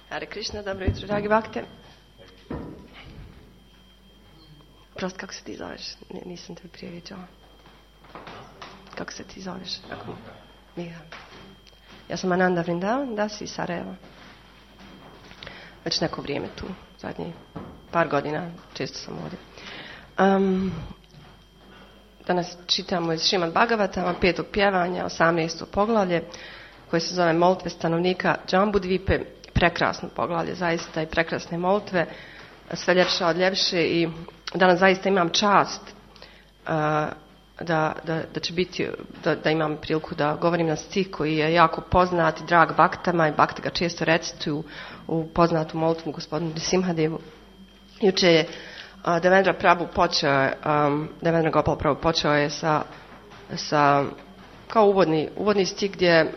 Hare Krishna, dobro jutro, dragi bakte. Prost, kako se ti zoveš? Nisam te prije viđala. Kako se ti zoveš? Miha. Ja sam Ananda Vrindavan, da si iz Sarajeva. Već neko vrijeme tu, zadnjih par godina, često sam ovdje. Danas čitamo iz Šrimad Bhagavatama, 5. pjevanja, 18. poglavlje, koje se zove Molitve stanovnika Džambudvipe. Prekrasno poglavlje, zaista, i prekrasne molitve, sve ljepše od ljepše, i danas zaista imam čast da će biti, da imam priliku da govorim na stih koji je jako poznat i drag baktama, i bakte ga često recituju u poznatu molitvu gospodinu Nrisimhadevu. Juče je Devendra Gopal Prabhu počeo je sa kao uvodni stih gdje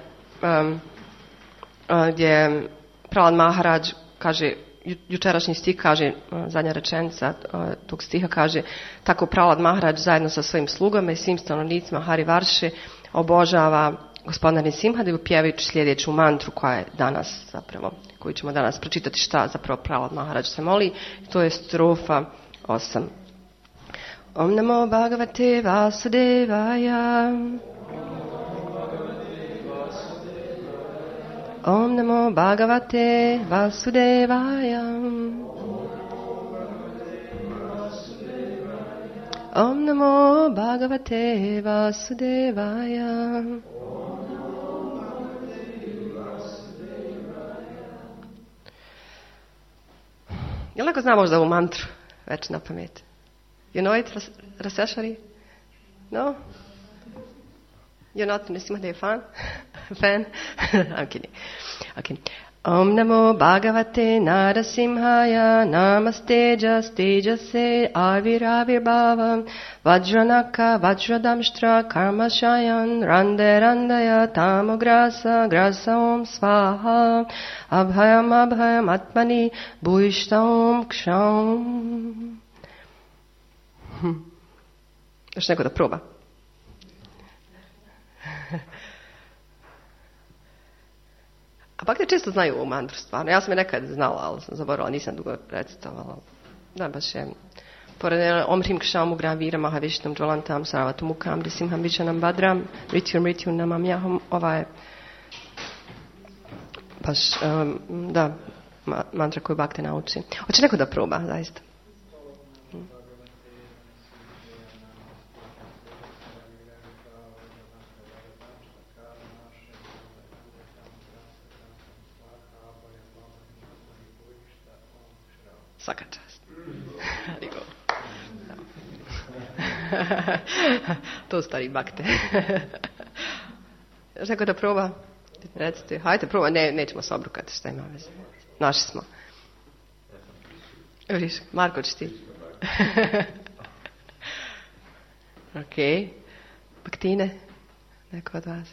Prahlad Maharaj kaže, jučerašnji stih kaže, zadnja rečenica tog stiha kaže, tako Prahlad Maharaj zajedno sa svojim slugama i svim stanovnicima Hari Varše obožava gospodina Nrisimhadevu pjevajući sljedeću mantru koja je danas zapravo, koju ćemo danas pročitati šta zapravo Prahlad Maharaj se moli. To je strofa 8. Om namo bhagavate vasudevaya. Om namo bhagavate vasudevaya. Om namo bhagavate vasudevaya. Jel neko zna možda ovu mantru već na pamet? You know it, Raseshwari? No? You're not Nrisimhadev fan? Fan? I'm kidding. Okay. Om namo bhagavate narasimhaya namaste tejase avirbhavam vajranaka vajradamshtra karmashayan randaya tamograsa grasa om svaha abhayam atmani bhuishtam ksham. Još neko da proba? A pak te često znaju ovu mantru stvarno. Ja sam je nekad znala, ali sam zaboravila, nisam dugo recitovala. Da, baš je. Pored Om Hrim Ksham Ugram Vira Mahavišnom Džvalantam Saravatum Mukam Risimham Vičanam Badram Rityu Namam Jahom. Ova je baš, da, mantra koju bakte nauči. Hoće neko da proba, zaista? Svaka čast. To stari bakte. Još neko da proba? Recite, hajde proba, nećemo se obrukati, šta ima veze. Naši smo. Viš, Marko, ćeš ti? Ok. Baktine? Neko od vas?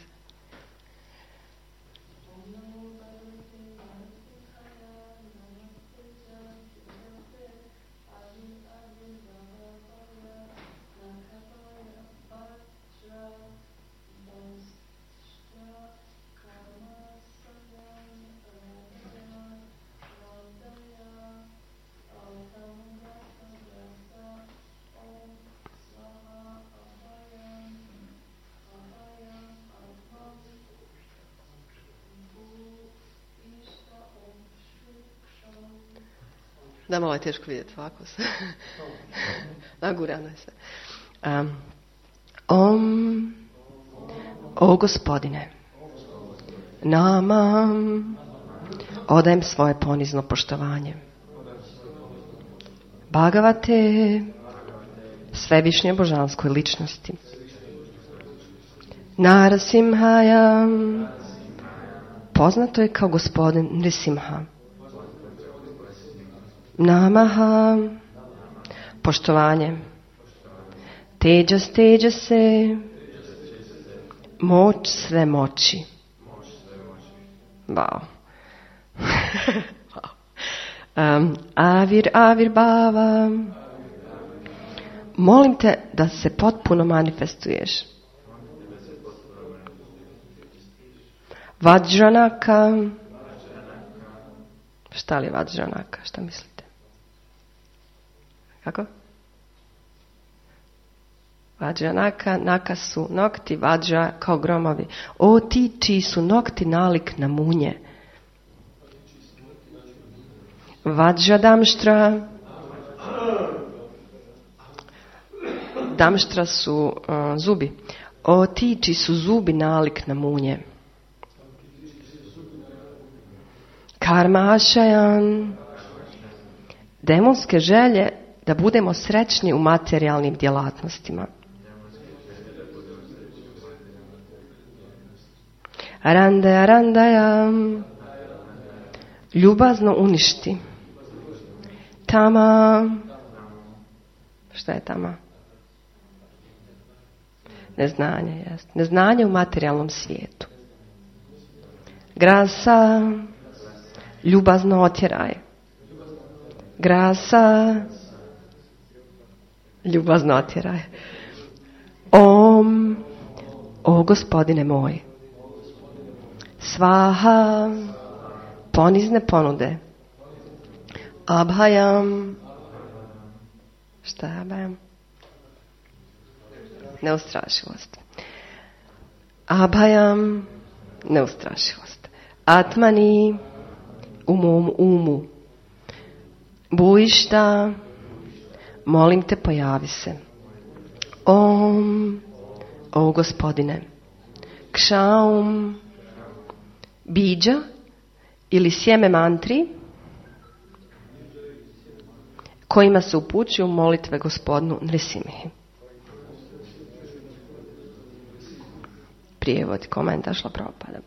Da, malo je teško vidjeti ovako. Nagurano je sve. O Gospodine, nama odajem svoje ponizno poštovanje. Bhagavate, svevišnje božanskoj ličnosti. Narasimhaya, poznato je kao gospodin Nrisimha. Namaha, poštovanje. Tejase, moć sve moći. Wow. Avirbhava, molim te da se potpuno manifestuješ. Vajranaka, Šta li je Vajranaka? Šta mislite? Kako? Vajranaka, naka su nokti, Vajra kao gromovi. O ti čiji su nokti nalik na munje. Vajra damštra. Damštra su zubi. O ti čiji su zubi nalik na munje. Karma ašajan. Demonske želje da budemo srećni u materijalnim djelatnostima. Randaja, randaja. Ljubazno uništi. Tama. Šta je tama? Neznanje, jest. Neznanje u materijalnom svijetu. Grasa. Ljubazno otjeraj. Grasa. Ljubazno otjeraj. Om. O Gospodine moj. Svaha. Ponizne ponude. Abhajam. Šta je abhajam? Neustrašivost. Abhajam. Neustrašivost. Atmani. U mom umu. Bujišta. Molim te, pojavi se. Om. O Gospodine. Kšaum. Biđa ili sjeme mantri kojima se upućuju molitve Gospodinu Nrisimhi. Prijevod, komentar Šrila Prabhupada.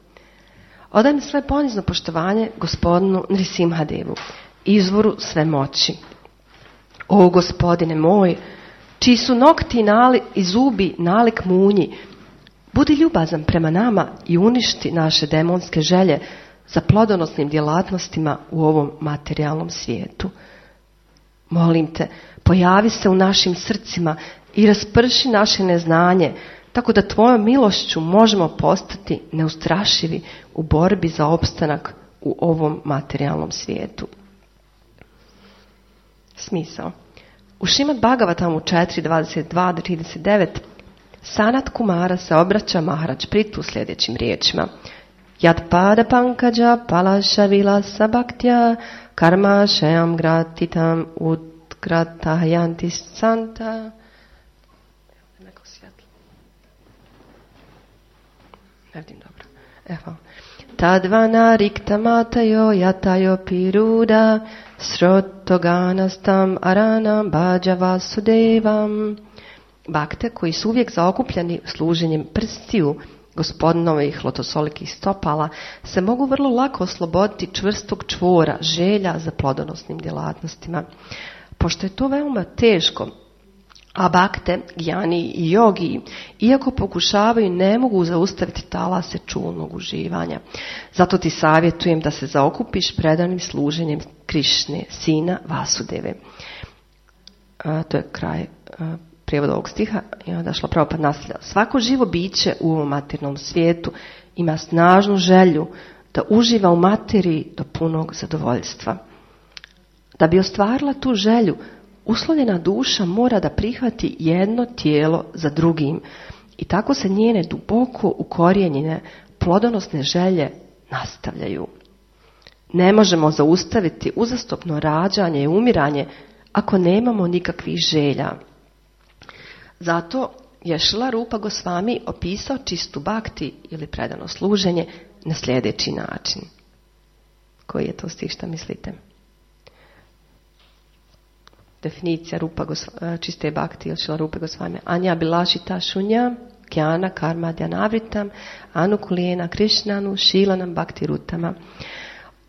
Odajem sve ponizno poštovanje Gospodinu Nrisimhadevu, izvoru sve moći. O Gospodine moj, čiji su nokti i zubi nalik munji, budi ljubazan prema nama i uništi naše demonske želje za plodonosnim djelatnostima u ovom materijalnom svijetu. Molim te, pojavi se u našim srcima i rasprši naše neznanje, tako da tvojom milošću možemo postati neustrašivi u borbi za opstanak u ovom materijalnom svijetu. Smisao. U Šrimad Bhagavatamu 4.22-39 Sanat Kumara se obraća Maharaj Pritu sljedećim riječima. Yat pada pankaja palasha vilasa bhaktya karma shayam gratitam utgratahayanti santa. Neko svjetlo. Ne vidim dobro. Evo. Tadvana riktamatayo yatayo piruda srotoganastam aranam bhaja vasudevam. Bakte koji su uvijek zaokupljeni služenjem prstiju Gospodinovih lotosolikih stopala se mogu vrlo lako osloboditi čvrstog čvora želja za plodonosnim djelatnostima. Pošto je to veoma teško, a bakte, gjani i jogi, iako pokušavaju, ne mogu zaustaviti talase čulnog uživanja. Zato ti savjetujem da se zaokupiš predanim služenjem Krišne, sina Vasudeve. To je kraj prijevod ovog stiha i onda Šrila Prabhupada nastavlja. Svako živo biće u ovom materijalnom svijetu ima snažnu želju da uživa u materiji do punog zadovoljstva. Da bi ostvarila tu želju, uslovljena duša mora da prihvati jedno tijelo za drugim i tako se njene duboko ukorijenjene plodonosne želje nastavljaju. Ne možemo zaustaviti uzastopno rađanje i umiranje ako nemamo nikakvih želja. Zato je Šrila Rupa Gosvami opisao čistu bhakti ili predano služenje na sljedeći način. Koji je to stih, šta mislite? Definicija čiste bhakti ili Šrila Rupa Gosvami. Anja bilašita šunja, kjana karma djanavritam, anukulijena krišnanu, šilanam bhakti rutama.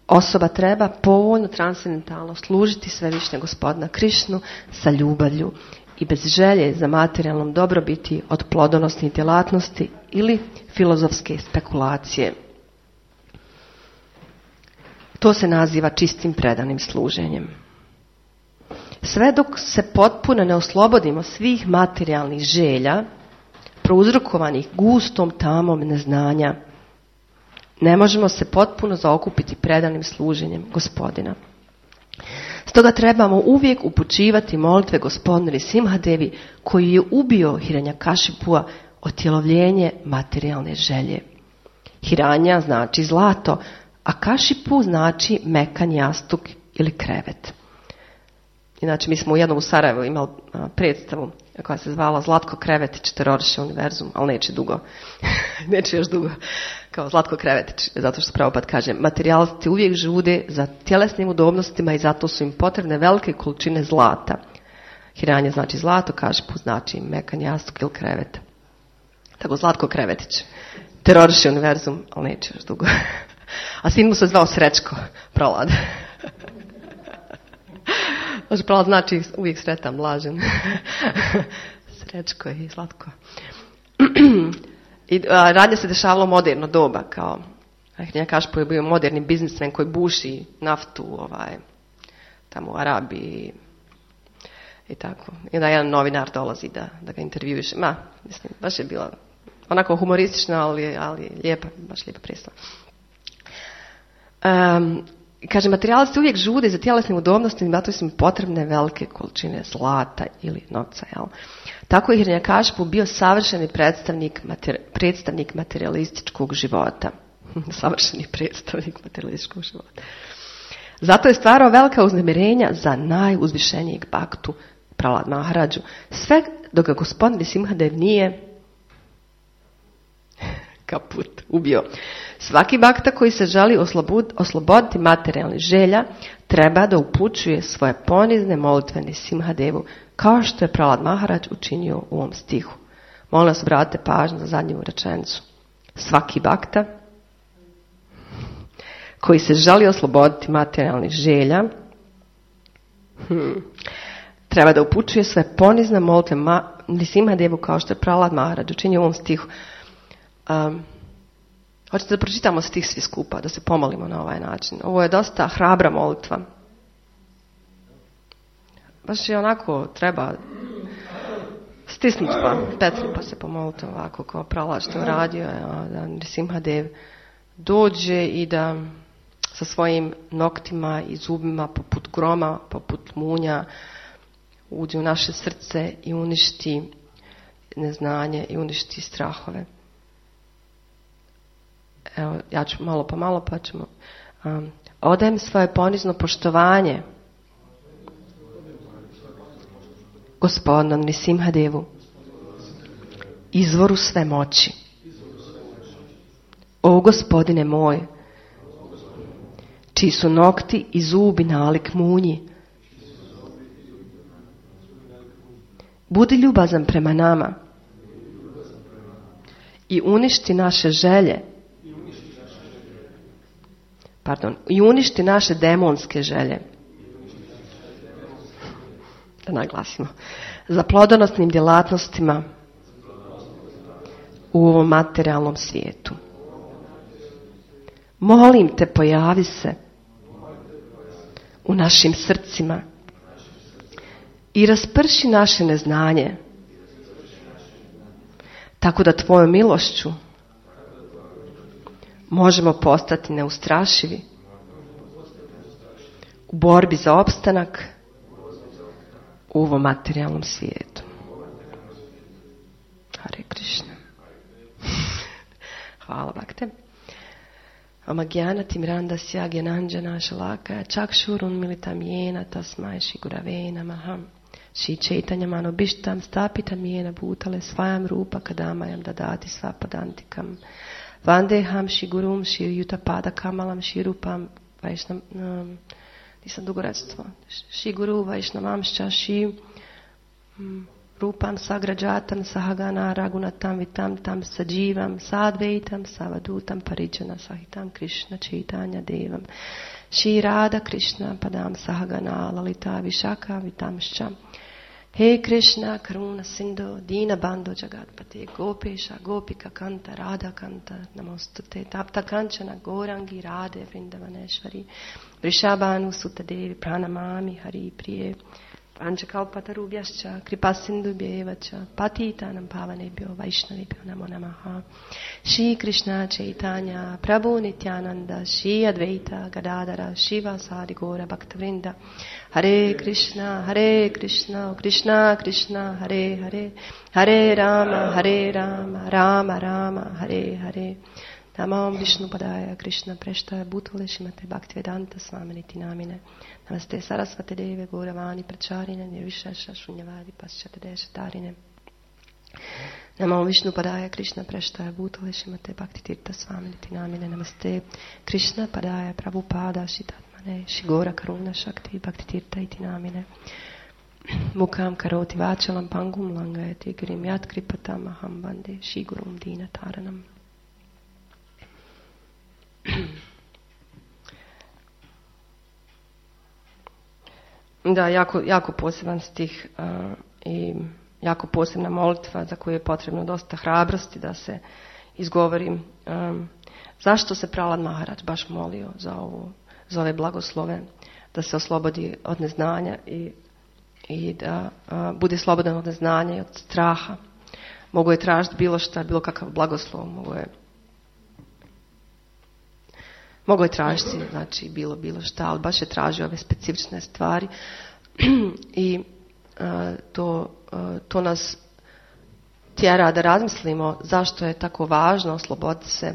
Osoba treba povoljno transcendentalno služiti Svevišnjeg Gospodina Krišnu sa ljubavlju i bez želje za materijalnom dobrobiti od plodonosnih djelatnosti ili filozofske spekulacije. To se naziva čistim predanim služenjem. Sve dok se potpuno ne oslobodimo svih materijalnih želja, prouzrokovanih gustom tamom neznanja, ne možemo se potpuno zaokupiti predanim služenjem Gospodina. Stoga trebamo uvijek upućivati molitve Gospodinu Nrisimhadevi koji je ubio Hiranyakashipua otjelovljenje materijalne želje. Hiranja znači zlato, a Kashipu znači mekan jastuk ili krevet. Inače, mi smo u jednom u Sarajevu imali predstavu koja se zvala Zlatko Krevetić, teroriše univerzum, ali neće dugo. Neće još dugo. Kao Zlatko Krevetić, zato što Prabhupada kaže, materijalisti uvijek žude za tjelesnim udobnostima i zato su im potrebne velike količine zlata. Hiranja znači zlato, Kashipu znači mekan jastuk ili krevet. Tako Zlatko Krevetić, teroriše univerzum, ali neće još dugo. A sin mu se zvao Srećko, Prolad. Može, Prolad znači uvijek sretan, blažen. Srećko i slatko. I radnje se dešavalo moderno doba, kao Hiranyakashipu je bio moderni biznismen koji buši naftu tamo u Arabiji i tako. I onda jedan novinar dolazi da ga intervjuiše. Mislim, baš je bila onako humoristična, ali lijepa, baš lijepa predstava. Kaže, materijalisti uvijek žude za tjelesnim udobnostima, zato su im potrebne velike količine zlata ili novca. Jel? Tako je Hiranyakashipu bio savršeni predstavnik materijalističkog života. Savršeni predstavnik materijalističkog života. Zato je stvarao velika uznemirenja za najuzvišenijeg bhaktu Prahlad Maharadžu. Sve dok ga Gospodin Nrisimhadev nije kaput, ubio. Svaki bhakta koji se želi osloboditi materijalnih želja treba da upućuje svoje ponizne molitve Nrisimhadevu, kao što je Prahlad Maharadž učinio u ovom stihu. Molim vas, obratite pažnju na zadnju rečenicu. Svaki bhakta koji se želi osloboditi materijalnih želja treba da upućuje svoje ponizne molitve Nrisimhadevu, kao što je Prahlad Maharadž učinio u ovom stihu. Hoćete da pročitamo stih svi skupa, da se pomolimo na ovaj način. Ovo je dosta hrabra molitva. Baš je onako, treba stisnuti pa se pomoliti ovako kao Prahlad što je uradio, da Nrisimhadev dođe i da sa svojim noktima i zubima poput groma, poput munja uđe u naše srce i uništi neznanje i uništi strahove. Evo, ja ću malo po malo pa ćemo. Odajem svoje ponizno poštovanje Gospodinu Nrisimhadevu, izvoru sve moći. O Gospodine moj, čiji su nokti i zubi nalik munji, budi ljubazan prema nama i uništi naše želje. I uništi naše demonske želje. Da naglasimo. Za plodonosnim djelatnostima u ovom materijalnom svijetu. Molim te, pojavi se u našim srcima i rasprši naše neznanje, tako da tvojom milošću možemo postati neustrašivi u borbi za opstanak u ovom materijalnom svijetu. Hare Krishna. Hvala, Bhakte. Amagyana timrandasya gyananjana shalakaya chakshurun militam yena tasmai shri gurave namaha. Shri Chaitanya manobishtam stapitam yena bhutale svayam rupa kadamayam dadati svapadantikam. Vandeham Shri Gurum Shri Yutapada Kamalam Shri Rupam Vaishnam, nisam dugo recitvala. Shri Guru Vaishnavamšća Shri Rupam Sagrađatam Sahagana Ragunatam Vitam Tam Sađivam Sadveitam Savadutam Parijana Sahitam Krishna Chaitanya Devam Shri Radha Krishna Padam Sahagana Lalita Vishaka Vitamšća. He Krishna, Karuna Sindhu, Dina Bandhu Jagatpate, Gopesha, Gopika Kanta, Radha Kanta, Namostute, Tapta Kanchana, Gorangi, Radhe, Vrindavaneshvari, Vrishabhanu, Sutadevi, Pranamami, Hari Priye, Panchakalpatarubhyascha kripasindubhyevacha patitanam pavanebhyo vaishnavibhyo namo namaha. Shri Krishna Chaitanya Prabhu Nityananda Shri Advaita Gadadara Shiva Sadi Gora Bhaktavrinda. Hare Krishna Krishna Krishna Hare Hare Hare Rama Rama Rama Hare Hare. Namam Vishnu Padaya Krishna Prashtaya Bhutale Shrimate Bhaktivedanta Swaminiti Namine. Namaste Sarasvate Deve Gauravani Pracharine Nirvishesha Shunyavadi Paschate Deshatarine. Namam Vishnu Padaya Krishna Prashtaya Bhutale Shrimate Bhaktivedanta Swaminiti Namine. Namaste Krishna Padaya Prabhupada Shitatmane Shigora Karuna Shakti Bhaktitirtha Iti Namine. Mukam Karoti Vachalam Pangum Langayati Girim Yat Kripatam Aham Bande Shigurum Dina Taranam. Da, jako poseban stih i jako posebna molitva za koju je potrebno dosta hrabrosti da se izgovori. Zašto se Prahlad Maharaj baš molio za ove blagoslove, da se oslobodi od neznanja i da bude slobodan od neznanja i od straha. Mogu je tražiti bilo šta, bilo kakav blagoslov, mogu je tražiti, znači bilo šta, ali baš je tražio ove specifične stvari i to nas tjera da razmislimo zašto je tako važno osloboditi se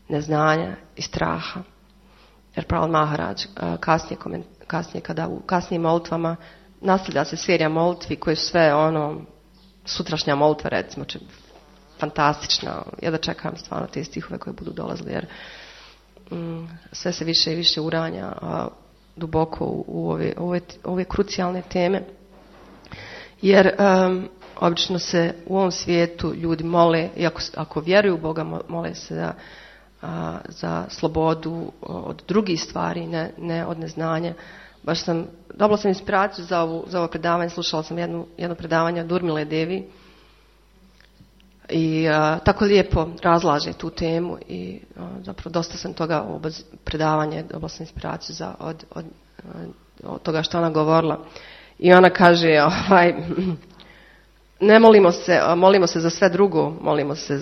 neznanja i straha. Jer Prahlad Maharaj kasnije kada u kasnijim molitvama nastavlja se serija molitvi koje su sve sutrašnja molitva, recimo, fantastična. Ja da čekam stvarno te stihove koje budu dolazili, jer sve se više i više uranja duboko u ove krucijalne teme. Jer obično se u ovom svijetu ljudi mole, i ako vjeruju u Boga, mole se za slobodu od drugih stvari, ne od neznanja. Dobila sam inspiraciju za ovo predavanje, slušala sam jedno predavanje od Urmile Devi i tako lijepo razlaže tu temu i zapravo dosta sam toga u predavanje, dobila sam inspiraciju od toga što ona govorila. I ona kaže, ne molimo se za sve drugo, molimo se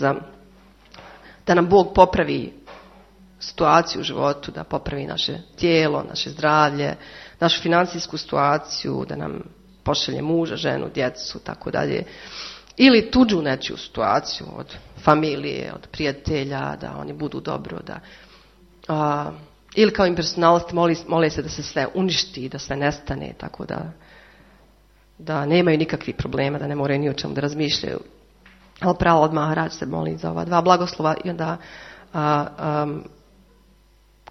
da nam Bog popravi situaciju u životu, da popravi naše tijelo, naše zdravlje, našu financijsku situaciju, da nam pošalje muža, ženu, djecu, tako dalje. Ili tuđu nečiju situaciju od familije, od prijatelja, da oni budu dobro, ili kao impersonalisti mole se da se sve uništi, da sve nestane, tako da nemaju nikakvih problema, da ne moraju ni o čemu da razmišljaju. Ali Prahlad Maharaj se moli za ova dva blagoslova i onda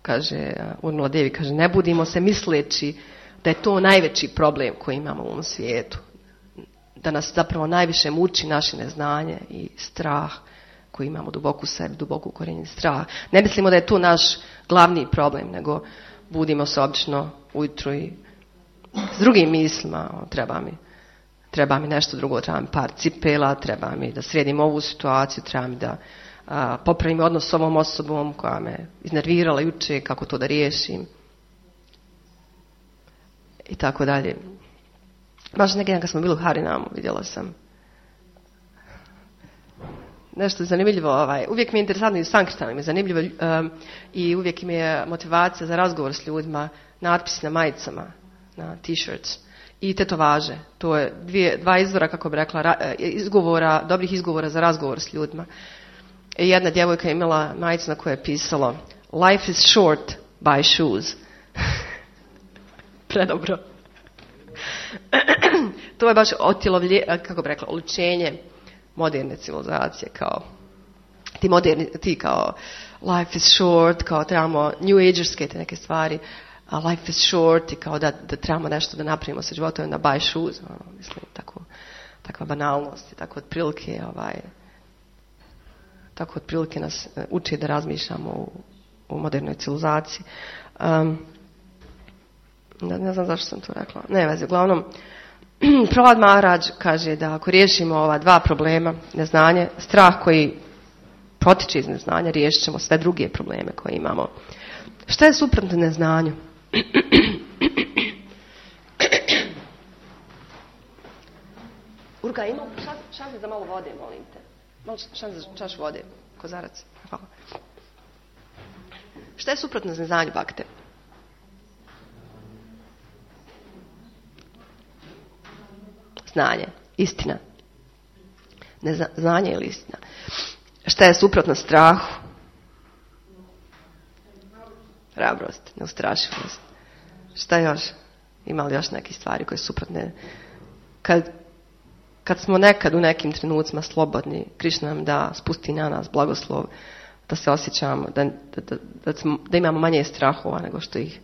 kaže, Urmila Devi kaže, ne budimo se misleći da je to najveći problem koji imamo u ovom svijetu. Da nas zapravo najviše muči naše neznanje i strah koji imamo duboko u sebi, duboko ukorijenjen strah. Ne mislimo da je to naš glavni problem, nego budimo se obično ujutro i s drugim mislima, treba mi nešto drugo, treba mi par cipela, treba mi da sredim ovu situaciju, treba mi da popravim odnos s ovom osobom koja me iznervirala juče, kako to da riješim. I tako dalje. Baš neki dan kad smo bili u Harinamu, vidjela sam nešto zanimljivo. Uvijek mi je interesantno i u Sankirtanu mi je zanimljivo i uvijek mi je motivacija za razgovor s ljudima, natpisi na majicama, na t-shirts i tetovaže. To je dva izvora, kako bi rekla, dobrih izgovora za razgovor s ljudima. I jedna djevojka je imala majicu na kojoj je pisalo Life is short, buy shoes. Predobro. To je baš kako bi rekla, oličenje moderne civilizacije, kao ti kao life is short, kao trebamo new agerske te neke stvari, a life is short i kao da trebamo nešto da napravimo sa životom, da buy shoes, mislim, takva banalnost i tako otprilike nas uči da razmišljamo u modernoj civilizaciji. Ne znam zašto sam to rekla. Ne veze, uglavnom, Prahlad Maharaj kaže da ako riješimo ova dva problema, neznanje, strah koji potiče iz neznanja, riješit ćemo sve druge probleme koje imamo. Šta je suprotno neznanju? Luka, ima šanse za malo vode, molim te. Malo šanse za čaš vode, kozarac. Hvala. Šta je suprotno neznanju, bakte? Znanje, istina. Znanje ili istina. Šta je suprotno strahu? Hrabrost, neustrašivost. Šta još? Ima li još neke stvari koje su suprotne? Kad smo nekad u nekim trenucima slobodni, Krišna nam da, spusti na nas blagoslov, da se osjećamo, da imamo manje strahova nego što ih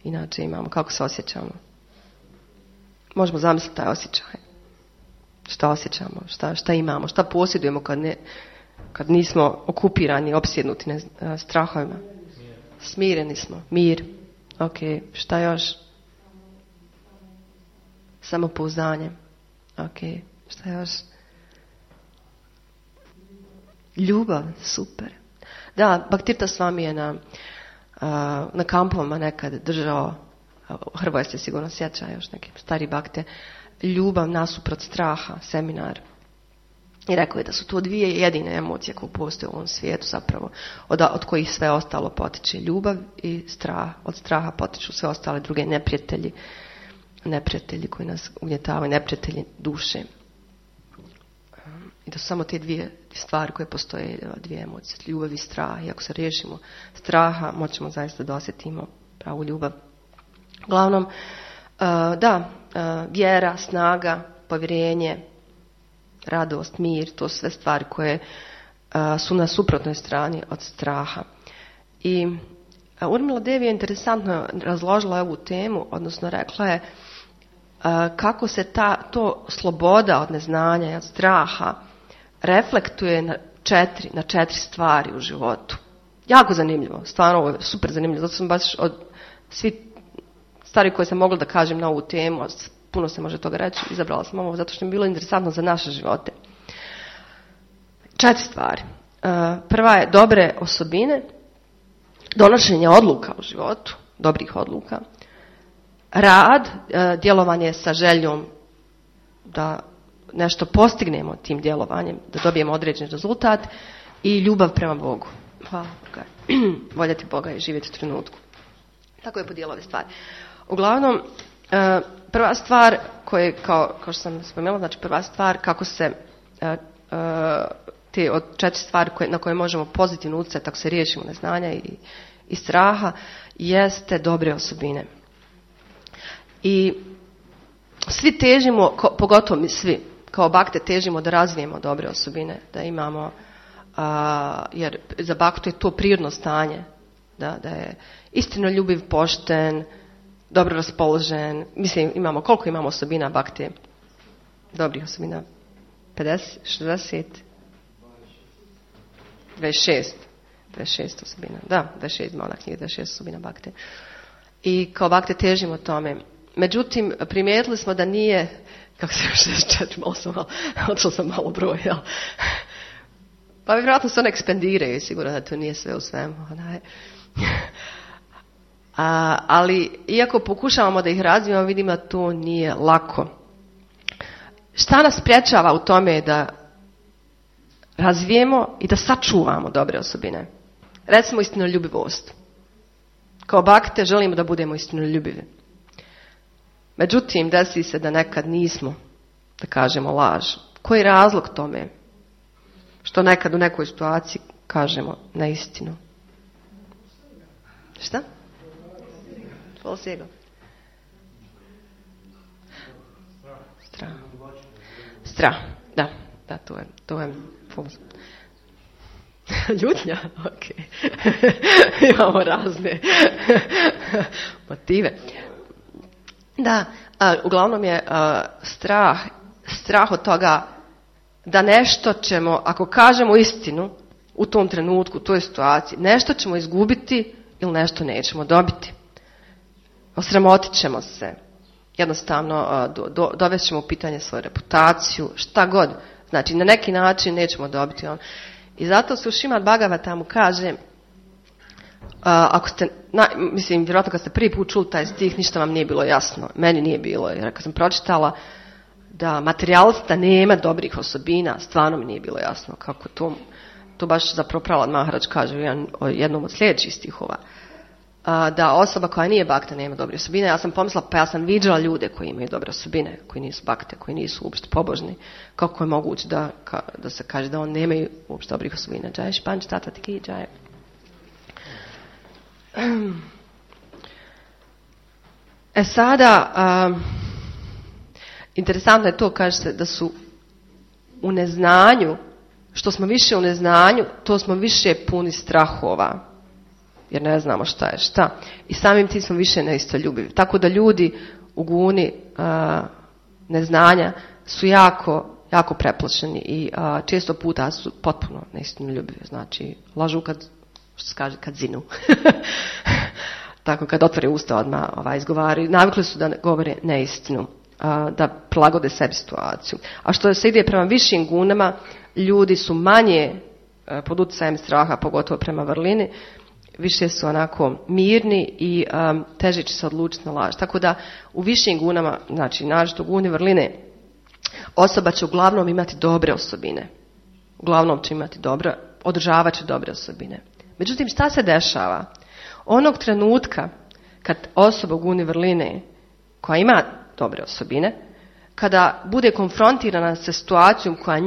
inače imamo. Kako se osjećamo? Možemo zamisliti taj osjećaj. Šta osjećamo? Šta imamo? Šta posjedujemo kad nismo okupirani, opsjednuti strahovima? Smireni smo. Mir. Ok. Šta još? Samopouzdanje. Ok. Šta još? Ljubav. Super. Da, Bhaktirtha Swami je na kampovima nekad držao, Hrvoje se sigurno sjeća, još neki stari bakte, ljubav nasuprot straha, seminar. I rekao je da su to dvije jedine emocije koje postoje u ovom svijetu zapravo, od kojih sve ostalo potiče. Ljubav i strah. Od straha potiču sve ostale druge neprijatelji koji nas ugnjetavaju, neprijatelji duše. I da su samo te dvije stvari koje postoje, dvije emocije, ljubav i strah. I ako se riješimo straha, moćemo zaista da osjetimo pravu ljubav. Uglavnom, vjera, snaga, povjerenje, radost, mir, to su sve stvari koje su na suprotnoj strani od straha. I Urmila Devi je interesantno razložila ovu temu, odnosno rekla je kako se to sloboda od neznanja i od straha reflektuje na četiri stvari u životu. Jako zanimljivo, stvarno ovo je super zanimljivo, zato sam baš od svi stvari koje sam mogla da kažem na ovu temu, puno se može toga reći, izabrala sam ovo zato što mi je bilo interesantno za naše živote. 4 stvari. Prva je dobre osobine, donošenje odluka u životu, dobrih odluka, rad, djelovanje sa željom da nešto postignemo tim djelovanjem, da dobijemo određen rezultat i ljubav prema Bogu. Hvala Boga. Voljeti Boga i živjeti u trenutku. Tako je podijelila ove stvari. Uglavnom, prva stvar koje, kao što sam spomenula, znači prva stvar kako se te od 4 stvari na koje možemo pozitivno utjecati ako se riješimo neznanja i straha, jeste dobre osobine. I svi težimo, pogotovo mi svi, kao bakte težimo da razvijemo dobre osobine, da imamo, jer za baktu je to prirodno stanje, da je istinoljubiv, pošten, dobro raspoložen. Mislim, koliko imamo osobina bakte? Dobrih osobina? 50, 60? 26 osobina. Da, 26 ima ona knjiga, 26 osobina bakte. I kao bakte težimo tome. Međutim, primijetili smo da nije, kako se 64, otišla sam malo broj, jel? Pa vjerojatno se one ekspandiraju, sigurno da to nije sve u svemu. Ali, iako pokušavamo da ih razvijemo, vidimo da to nije lako. Šta nas sprječava u tome da razvijemo i da sačuvamo dobre osobine? Recimo istinoljubivost. Kao bakte želimo da budemo istinoljubivi. Međutim, desi se da nekad nismo, da kažemo laž. Koji je razlog tome? Što nekad u nekoj situaciji kažemo neistinu. Šta? Polsjego. Strah. Da, to je ljutnja, ok. Imamo razne motive. Da, uglavnom je strah od toga da nešto ćemo, ako kažemo istinu u tom trenutku, u toj situaciji, nešto ćemo izgubiti ili nešto nećemo dobiti. Osramotit ćemo se. Jednostavno dovest ćemo u pitanje svoju reputaciju, šta god. Znači, na neki način nećemo dobiti on. I zato se u Šrimad Bhagavatamu kaže, ako ste, vjerojatno kad ste prvi put čuli taj stih, ništa vam nije bilo jasno. Meni nije bilo, jer kad sam pročitala, da materijalista nema dobrih osobina, stvarno mi nije bilo jasno kako to baš zapravo Prahlad Maharaj kaže u jednom od sljedećih stihova. Da osoba koja nije bakta nema dobre osobine. Ja sam pomislila, pa ja sam viđala ljude koji imaju dobre osobine, koji nisu bakte, koji nisu uopšte pobožni. Kako je moguće da se kaže da on nemaju uopšte dobrih osobina? Džaj španč, tata ti ki, džaj. Sada, interesantno je to, kaže se, da su u neznanju, što smo više u neznanju, to smo više puni strahova. Jer ne znamo šta je šta. I samim tim smo više neistoljubivi. Tako da ljudi u guni neznanja su jako, jako preplašeni i često puta su potpuno neistoljubivi. Znači, lažu što se kaže, kad zinu. Tako kad otvore usta odmah izgovaraju. Navikli su da govore neistinu, da prilagode sebi situaciju. A što se ide prema višim gunama, ljudi su manje pod utjecajem straha, pogotovo prema vrlini, više su onako mirni i teže će se odlučiti na laž. Tako da u višim gunama, znači naročito guni vrline, osoba će uglavnom imati dobre osobine. Uglavnom će imati održavat će dobre osobine. Međutim, šta se dešava? Onog trenutka kad osoba u guni vrline koja ima dobre osobine, kada bude konfrontirana sa situacijom koja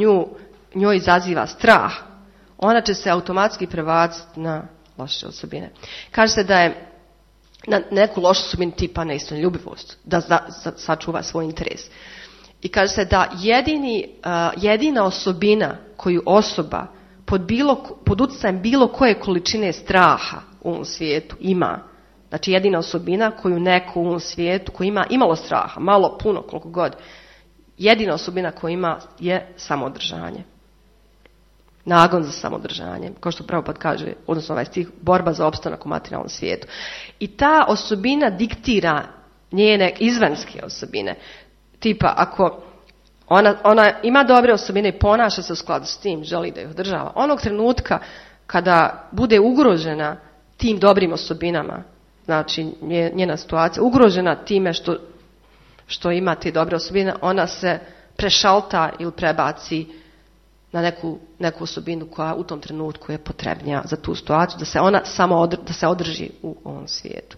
njoj izaziva strah, ona će se automatski prebaciti na loše osobine. Kaže se da je na neku lošu osobinu tipa neistoljubivost, da sačuva svoj interes. I kaže se da jedina osobina koju osoba pod utjecajem bilo koje količine straha u ovom svijetu ima, znači jedina osobina koju neko u ovom svijetu koji ima imalo straha, malo, puno, koliko god, jedina osobina koju ima je samoodržanje. Nagon za samodržanje, kao što Prabhupada kaže, odnosno ovaj stih, borba za opstanak u materijalnom svijetu. I ta osobina diktira njene izvanjske osobine. Tipa, ako ona ima dobre osobine i ponaša se u skladu s tim, želi da ih održava, onog trenutka kada bude ugrožena tim dobrim osobinama, znači njena situacija, ugrožena time što ima te dobre osobine, ona se prešalta ili prebaci na neku osobinu koja u tom trenutku je potrebnija za tu situaciju, da se ona da se održi u ovom svijetu.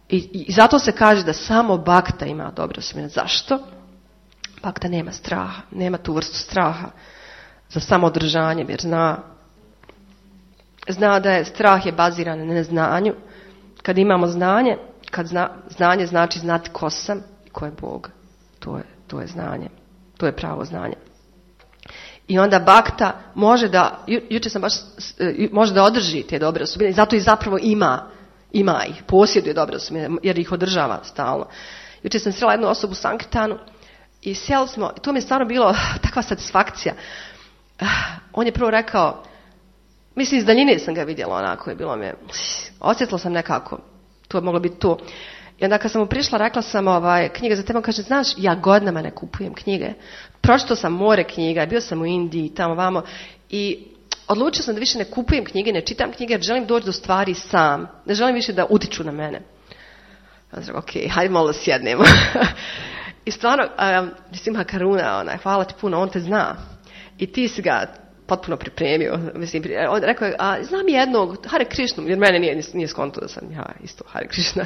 I zato se kaže da samo bakta ima dobre osobine. Zašto? Bakta nema straha, nema tu vrstu straha za samoodržanje, jer zna da je strah je baziran na neznanju. Kad imamo znanje, znanje znači znati ko sam i ko je Bog. To je znanje. To je pravo znanje. I onda bakta može da održi te dobre osobine i zato i zapravo ima ih, posjeduje dobre osobine jer ih održava stalno. Jučer sam srela jednu osobu u Sankirtanu i sjeli smo, i to mi je stvarno bilo takva satisfakcija. On je prvo rekao, mislim iz daljine sam ga vidjela onako, je bilo mi, osjetila sam nekako, to je moglo biti to. I onda kad sam mu prišla, rekla sam knjiga za tebe, kaže, znaš, ja godinama ne kupujem knjige. Pročitao sam more knjiga, bio sam u Indiji, tamo vamo i odlučio sam da više ne kupujem knjige, ne čitam knjige jer želim doći do stvari sam. Ne želim više da utiču na mene. Ja sam rekao, ok, hajde malo da sjednemo. I stvarno, mislim, Karuna, hvala ti puno, on te zna. I ti si ga potpuno pripremio. Mislim, on rekao je, znam jednog, Hare Krishnu, jer mene nije skonto da sam ja isto Hare Krishna.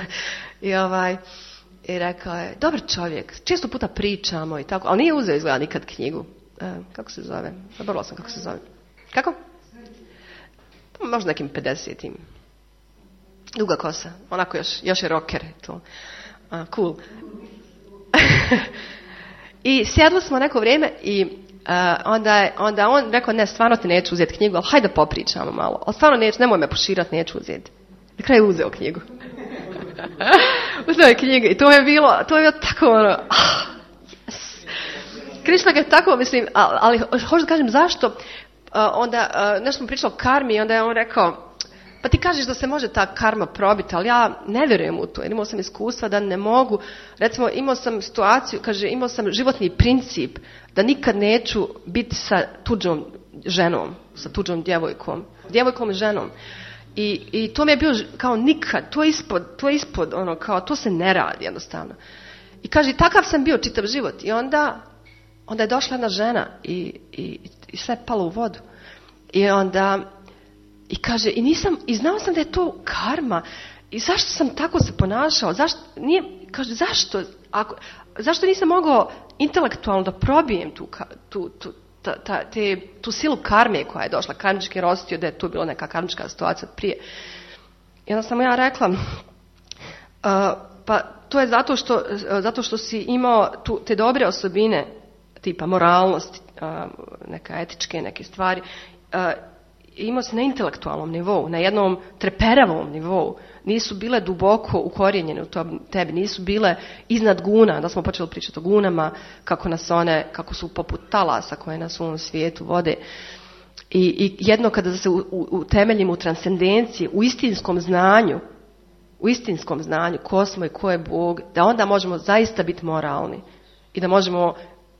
I rekao je, dobar čovjek, često puta pričamo i tako, ali nije uzeo izgleda nikad knjigu. Kako se zove? Zaboravila sam kako se zove. Kako? Možda nekim 50-im. Duga kosa, onako još je rocker. To. Cool. I sjedli smo neko vrijeme i onda on rekao, ne, stvarno ti neću uzeti knjigu, ali hajde popričamo malo. Ali stvarno nemoj me poširati, neću uzeti. Na kraju uzeo knjigu. Uzeo je knjigu i to je bilo tako ono, yes. Krišna ga je tako, mislim, ali hoću da kažem zašto, onda nešto smo pričali o karmi i onda je on rekao, pa ti kažeš da se može ta karma probiti, ali ja ne vjerujem u to, jer imao sam iskustva da ne mogu, recimo imao sam situaciju, kaže, imao sam životni princip da nikad neću biti sa tuđom ženom, sa tuđom djevojkom i ženom. I to mi je bilo kao nikad, to je ispod ono, kao to se ne radi jednostavno. I kaže, takav sam bio čitav život. I onda je došla jedna žena i sve je palo u vodu. I onda, i kaže, i znao sam da je to karma. I zašto sam tako se ponašao? Zašto nisam mogao intelektualno da probijem tu silu karme koja je došla, karmički rostio, da je tu bila neka karmička situacija prije. I onda sam ja rekla, pa to je zato što si imao te dobre osobine, tipa moralnosti, neka etičke, neke stvari, imao si na intelektualnom nivou, na jednom treperavom nivou. Nisu bile duboko ukorijenjene u tebi, nisu bile iznad guna. Da smo počeli pričati o gunama, kako su poput talasa koje nas u ovom svijetu vode. I jedno kada se utemeljimo u transcendenciji, u istinskom znanju ko smo i ko je Bog, da onda možemo zaista biti moralni i da možemo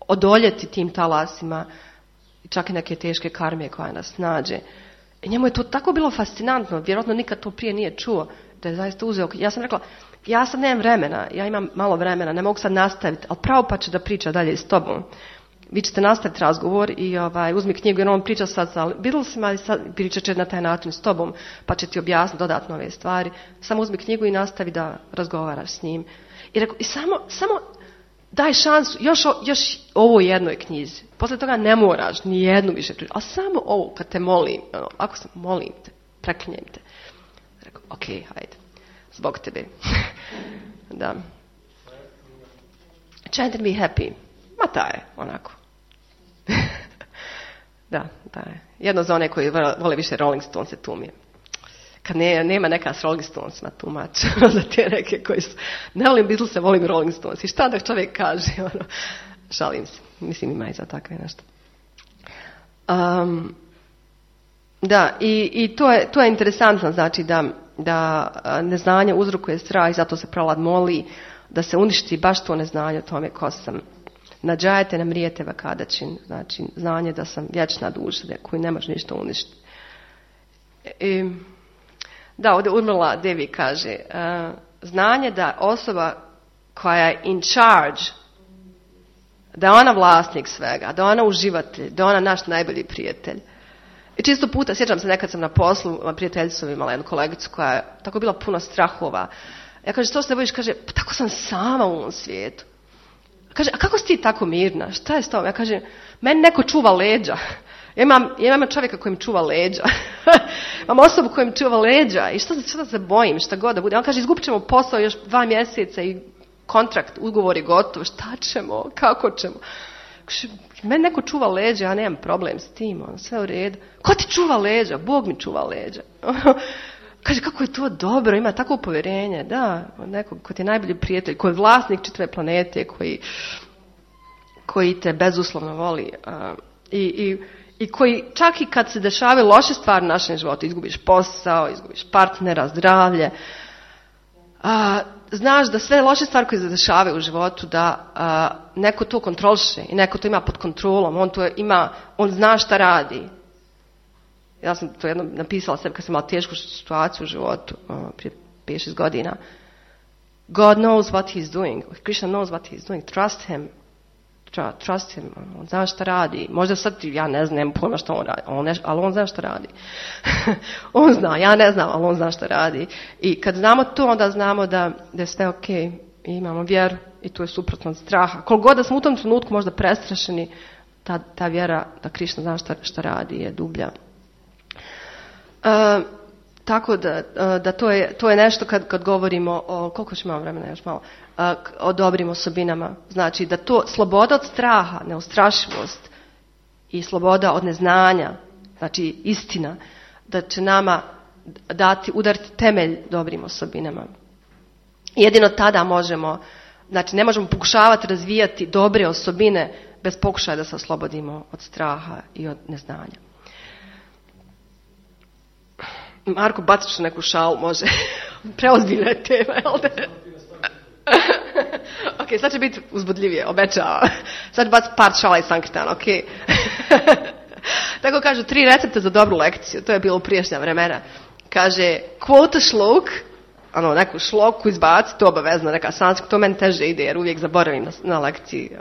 odoljeti tim talasima i čak i neke teške karme koja nas nađe. I njemu je to tako bilo fascinantno, vjerojatno nikad to prije nije čuo, da je zaista uzeo. Ja sam rekla, ja sad nemam vremena, ja imam malo vremena, ne mogu sad nastaviti, ali pravo pa će da priča dalje s tobom. Vi ćete nastaviti razgovor i uzmi knjigu, jer on priča sad sa Beatlesima i sad pričat će na taj način s tobom, pa će ti objasniti dodatno ove stvari. Samo uzmi knjigu i nastavi da razgovaraš s njim. I rekao, i samo daj šansu, još ovoj jednoj knjizi. Posle toga ne moraš ni jednu više pričati, ali samo ovo kad te molim, ako se molim te, preklinjem te. Rekao, ok, hajde, zbog tebe. Da. Chanting me happy. Ma ta je, onako. Da, je. Jedno za one koji vole više Rolling Stones, tu mi je. Kad nema neka s Rolling Stonesima tumač, za te neke koji su, ne volim Beatlese, volim Rolling Stones. I šta da čovjek kaže, šalim se. Mislim, ima i za takve nešto. Da, i to je interesantno, znači da neznanje uzrokuje strah i zato se prolad moli da se uništi baš to neznanje o tome ko sam. Nađajete nam rijete vakadačin, znači znanje da sam vječna duša koju ne može ništa uništiti. Da, ovdje Urmila Devi kaže, znanje da osoba koja je in charge, da je ona vlasnik svega, da je ona uživatelj, da je ona naš najbolji prijatelj. I često puta, sjećam se, nekad sam na poslu, prijateljicu imala jednu kolegicu koja je tako bila puno strahova. Ja kažem, što se bojiš? Kaže, pa tako sam sama u ovom svijetu. Kaže, a kako si ti tako mirna? Šta je s tom? Ja kažem, meni neko čuva leđa. Ja imam čovjeka koji mi čuva leđa. Imam osobu koja mi čuva leđa. I što da se bojim, šta god da bude. On kaže, izgubit ćemo posao još 2 mjeseca i kontrakt, ugovor je gotov. Šta ćemo? Kako ćemo? Kaže, meni neko čuva leđa, ja nemam problem s tim. Sve u redu. Ko ti čuva leđa? Bog mi čuva leđa. Kaže, kako je to dobro, ima takvo povjerenje. Da, nekog ko ti je najbolji prijatelj, koji je vlasnik čitave planete, koji te bezuslovno voli. I koji čak i kad se dešavaju loše stvari u našem životu, izgubiš posao, izgubiš partnera, zdravlje, znaš da sve loše stvari koje se dešavaju u životu, da neko to kontroliše i neko to ima pod kontrolom, on zna šta radi. Ja sam to jednom napisala sebi kad sam imala tešku situaciju u životu prije 5-6 godina. God knows what he's doing. Krishna knows what he's doing. Trust him. Trust him. On zna šta radi. Možda sad ja ne znam pojma što on radi, ali on zna šta radi. On zna, ja ne znam, ali on zna šta radi. I kad znamo to, onda znamo da je sve ok. I imamo vjeru i to je suprotno od straha. Koliko god da smo u tom trenutku možda prestrašeni, ta vjera da Krishna zna šta radi je dublja. Tako da to je nešto kad govorimo o, koliko ćemo vremena još malo, o dobrim osobinama. Znači da to sloboda od straha, neustrašivost i sloboda od neznanja, znači istina, da će nama udariti temelj dobrim osobinama. Jedino tada možemo, znači ne možemo pokušavati razvijati dobre osobine bez pokušaja da se oslobodimo od straha i od neznanja. Marko, baciš neku šalu, može. Preozbiljna je tema, jel da? Ok, sad će biti uzbudljivije, obećavam. Sad ću baciti par šala i sankirtana, ok? Tako kažu, 3 recepta za dobru lekciju. To je bilo u prijašnja vremena. Kaže, quote a shlok, neku šloku izbaci, to obavezno, neka sanskrit, to meni teže ide jer uvijek zaboravim na lekciji.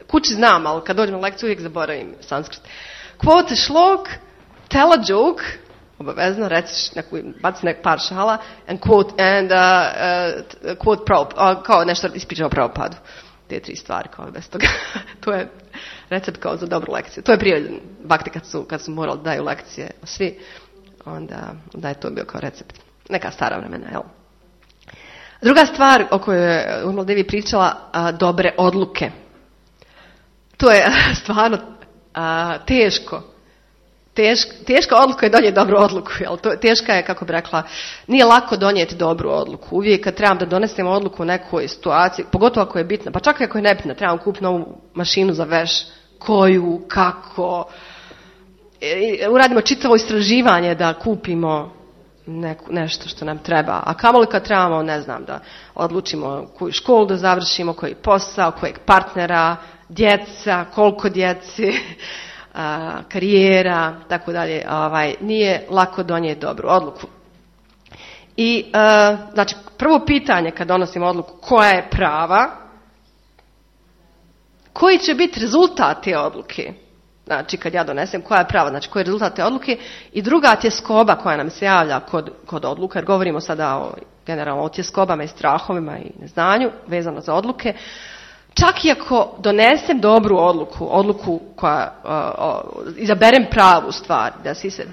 Kući znam, ali kad dođem na lekciju uvijek zaboravim sanskrit. Quote šlok, tell a joke, obavezno, reciš baci nek par šala, and quote kao nešto ispričao o Prabhupadu. Te 3 stvari, kao bez toga. To je recept kao za dobru lekciju. To je prije bakti kad su morali daju lekcije svi, onda je to bio kao recept. Neka stara vremena, jel? Druga stvar o kojoj je Urmila Devi pričala, dobre odluke. To je stvarno teško. Teška odluka je donijeti dobru odluku. Jel? Teška je, kako bi rekla, nije lako donijeti dobru odluku. Uvijek kad trebam da donesem odluku u nekoj situaciji, pogotovo ako je bitna, pa čak i ako je nebitna, trebam kupiti novu mašinu za veš, koju, kako. Uradimo čitavo istraživanje da kupimo nešto što nam treba. A kamoli kad trebamo, ne znam, da odlučimo koju školu da završimo, koji posao, kojeg partnera, djeca, koliko djeci, karijera, tako dalje. Nije lako donijeti dobru odluku. I, znači, prvo pitanje kad donosimo odluku, koja je prava, koji će biti rezultat te odluke? Znači, kad ja donesem, koja je prava, znači koji je rezultat te odluke. I druga tjeskoba koja nam se javlja kod odluka, jer govorimo sada generalno o tjeskobama i strahovima i neznanju vezano za odluke. Čak i ako donesem dobru odluku koja izaberem pravu stvar,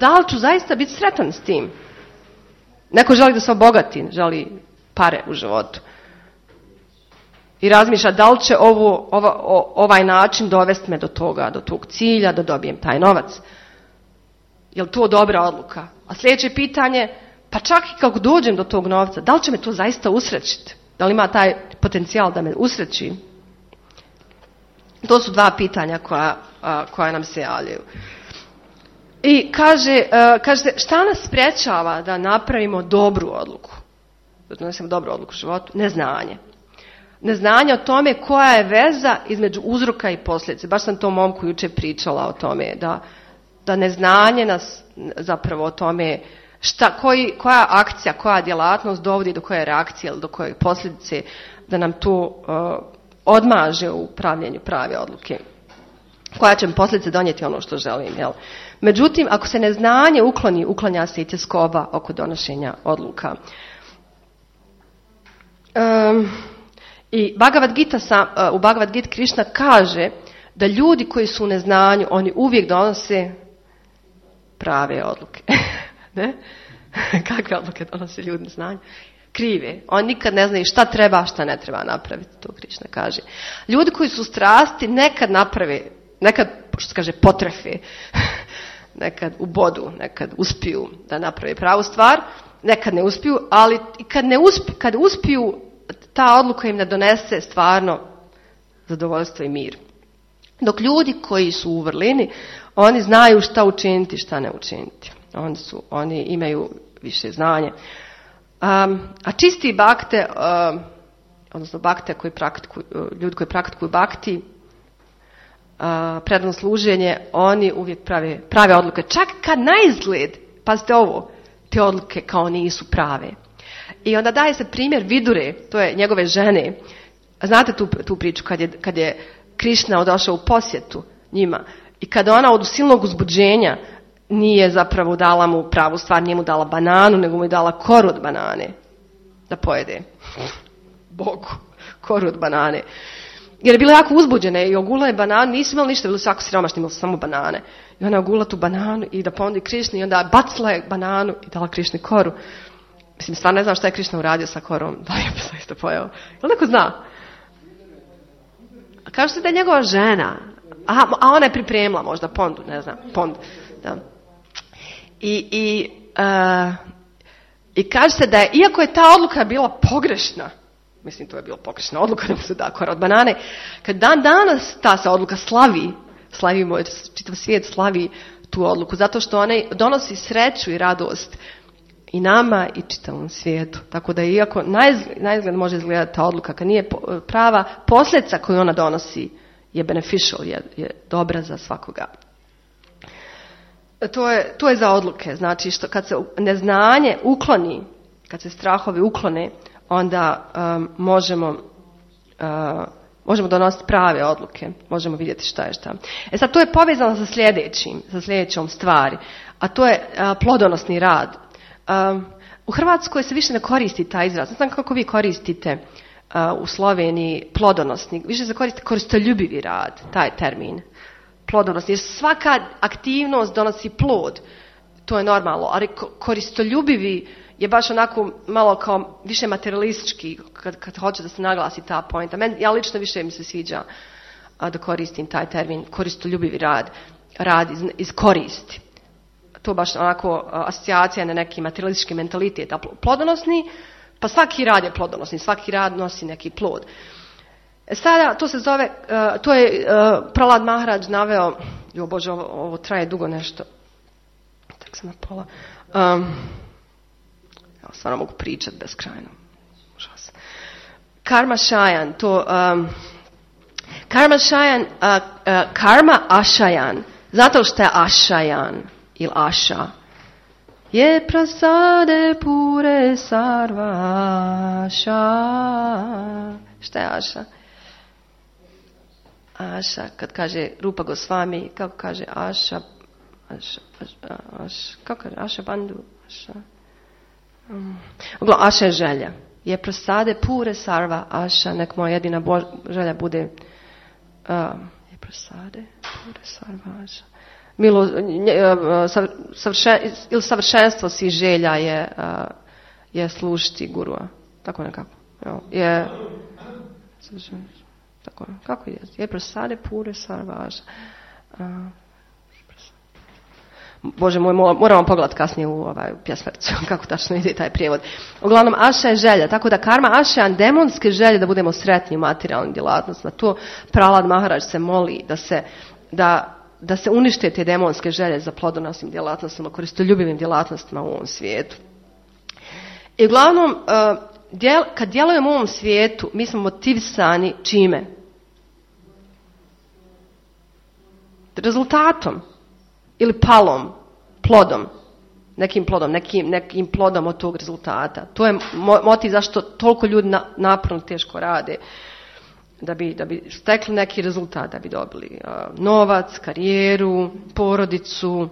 da li ću zaista biti sretan s tim? Neko želi da se obogati, želi pare u životu. I razmišlja da li će ovaj način dovesti me do toga, do tog cilja, da dobijem taj novac. Je li to dobra odluka? A sljedeće pitanje, pa čak i kako dođem do tog novca, da li će me to zaista usrećiti? Da li ima taj potencijal da me usreći? To su 2 pitanja koja nam se javljaju. I kaže, šta nas sprječava da napravimo dobru odluku? Da donesemo dobru odluku u životu? Neznanje. Neznanje o tome koja je veza između uzroka i posljedice. Baš sam tom momku jučer pričala o tome, da neznanje nas zapravo o tome koja akcija, koja djelatnost dovodi do koje reakcije ili do koje posljedice, da nam to odmaže u pravljenju prave odluke. Koja će mi posljedice donijeti ono što želim. Jel? Međutim, ako se neznanje uklanja se i tjeskoba oko donošenja odluka. I u Bhagavad Gita Krishna kaže da ljudi koji su u neznanju, oni uvijek donose prave odluke. Ne? Kakve odluke donose ljudi u neznanju? Krive. Oni nikad ne znaju šta treba, šta ne treba napraviti, to Krishna kaže. Ljudi koji su strasti nekad naprave, nekad, što se kaže, potrefe, nekad ubodu, nekad uspiju da naprave pravu stvar, nekad ne uspiju, ali kad uspiju, ta odluka im ne donese stvarno zadovoljstvo i mir. Dok ljudi koji su u vrlini, oni znaju šta učiniti, šta ne učiniti. Oni imaju više znanja. A čisti bakte, odnosno bakte ljudi koji praktikuju bakti, predano služenje, oni uvijek prave odluke. Čak kad na izgled, pazite ovo, te odluke kao nisu prave. I onda daje se primjer Vidure, to je njegove žene. Znate tu priču kad je Krišna došao u posjetu njima i kada ona od silnog uzbuđenja nije zapravo dala mu pravu stvar, nije mu dala bananu, nego mu je dala koru od banane da pojede. Bogu, koru od banane. Jer je bila jako uzbuđena i ogula je bananu, nisu imali ništa, bili su jako siromašni, imali su samo banane. I ona ogula tu bananu i da ponudi Krišni i onda bacila je bananu i dala Krišni koru. Mislim, stvarno ne znam šta je Krišna uradio sa korom, da je isto pojeo. Jel neko zna? Kaže se da je njegova žena, a ona je pripremila možda pondu, ne znam, pondu. Da. I kaže se da je, iako je ta odluka bila pogrešna, mislim to je bila pogrešna odluka da mu se da kora od banane, kad dan danas ta se odluka slavimo, čitav svijet slavi tu odluku, zato što ona donosi sreću i radost i nama i čitavom svijetu. Tako da iako naizgled može izgledati ta odluka, kad nije prava, posljedica koju ona donosi je beneficial, je dobra za svakoga. To je za odluke. Znači, kad se neznanje ukloni, kad se strahovi uklone, onda možemo donositi prave odluke, možemo vidjeti šta je šta. Sad to je povezano sa sljedećom stvari, a to je plodonosni rad. U Hrvatskoj se više ne koristi taj izraz. Ne znam kako vi koristite u Sloveniji plodonosni. Više se koristi koristoljubivi rad, taj termin. Plodonosni. Jer svaka aktivnost donosi plod. To je normalno. Ali koristoljubivi je baš onako malo kao više materialistički kad hoće da se naglasi ta pointa. Ja lično više mi se sviđa da koristim taj termin koristoljubivi rad iz koristi. To baš onako asocijacija na neki materialistički mentalitet. A plodonosni, pa svaki rad je plodonosni, svaki rad nosi neki plod. Sada to se zove, to je Prahlad Maharaj naveo, jo Bože, ovo traje dugo nešto. Tak sam na pola. Ja stvarno mogu pričati beskrajno. Užasno. Karma Shayan, to Karma Shayan, Karma Ashayan, zato što je Ashayan ili Asha. Je prasade pure sarva Asha. Šta je Asha? Asha, kad kaže Rupa Gosvami, kako kaže Asha, kako kaže Asha Bandhu, Asha. Asha je želja. Je prasade pure sarva Asha, nek moja jedina želja bude je prasade pure sarva Asha. Ili savršenstvo svih želja je slušati gurua. Tako nekako. Je tako, kako je prasade pure sarva Asha. Bože moj, moramo pogledati kasnije u pjesmericu kako tačno ide taj prijevod. Uglavnom, Asha je želja, tako da karma Asha je demonske želje da budemo sretni u materijalnim djelatnostima. To Prahlad Maharaj se moli da se unište te demonske želje za plodonosnim djelatnostima, koristoljubivim djelatnostima u ovom svijetu. I uglavnom, kad djelujemo u ovom svijetu, mi smo motivisani čime? Rezultatom. Ili plodom, nekim plodom od tog rezultata. To je motiv zašto toliko ljudi naporno teško rade, da bi stekli neki rezultat, da bi dobili novac, karijeru, porodicu,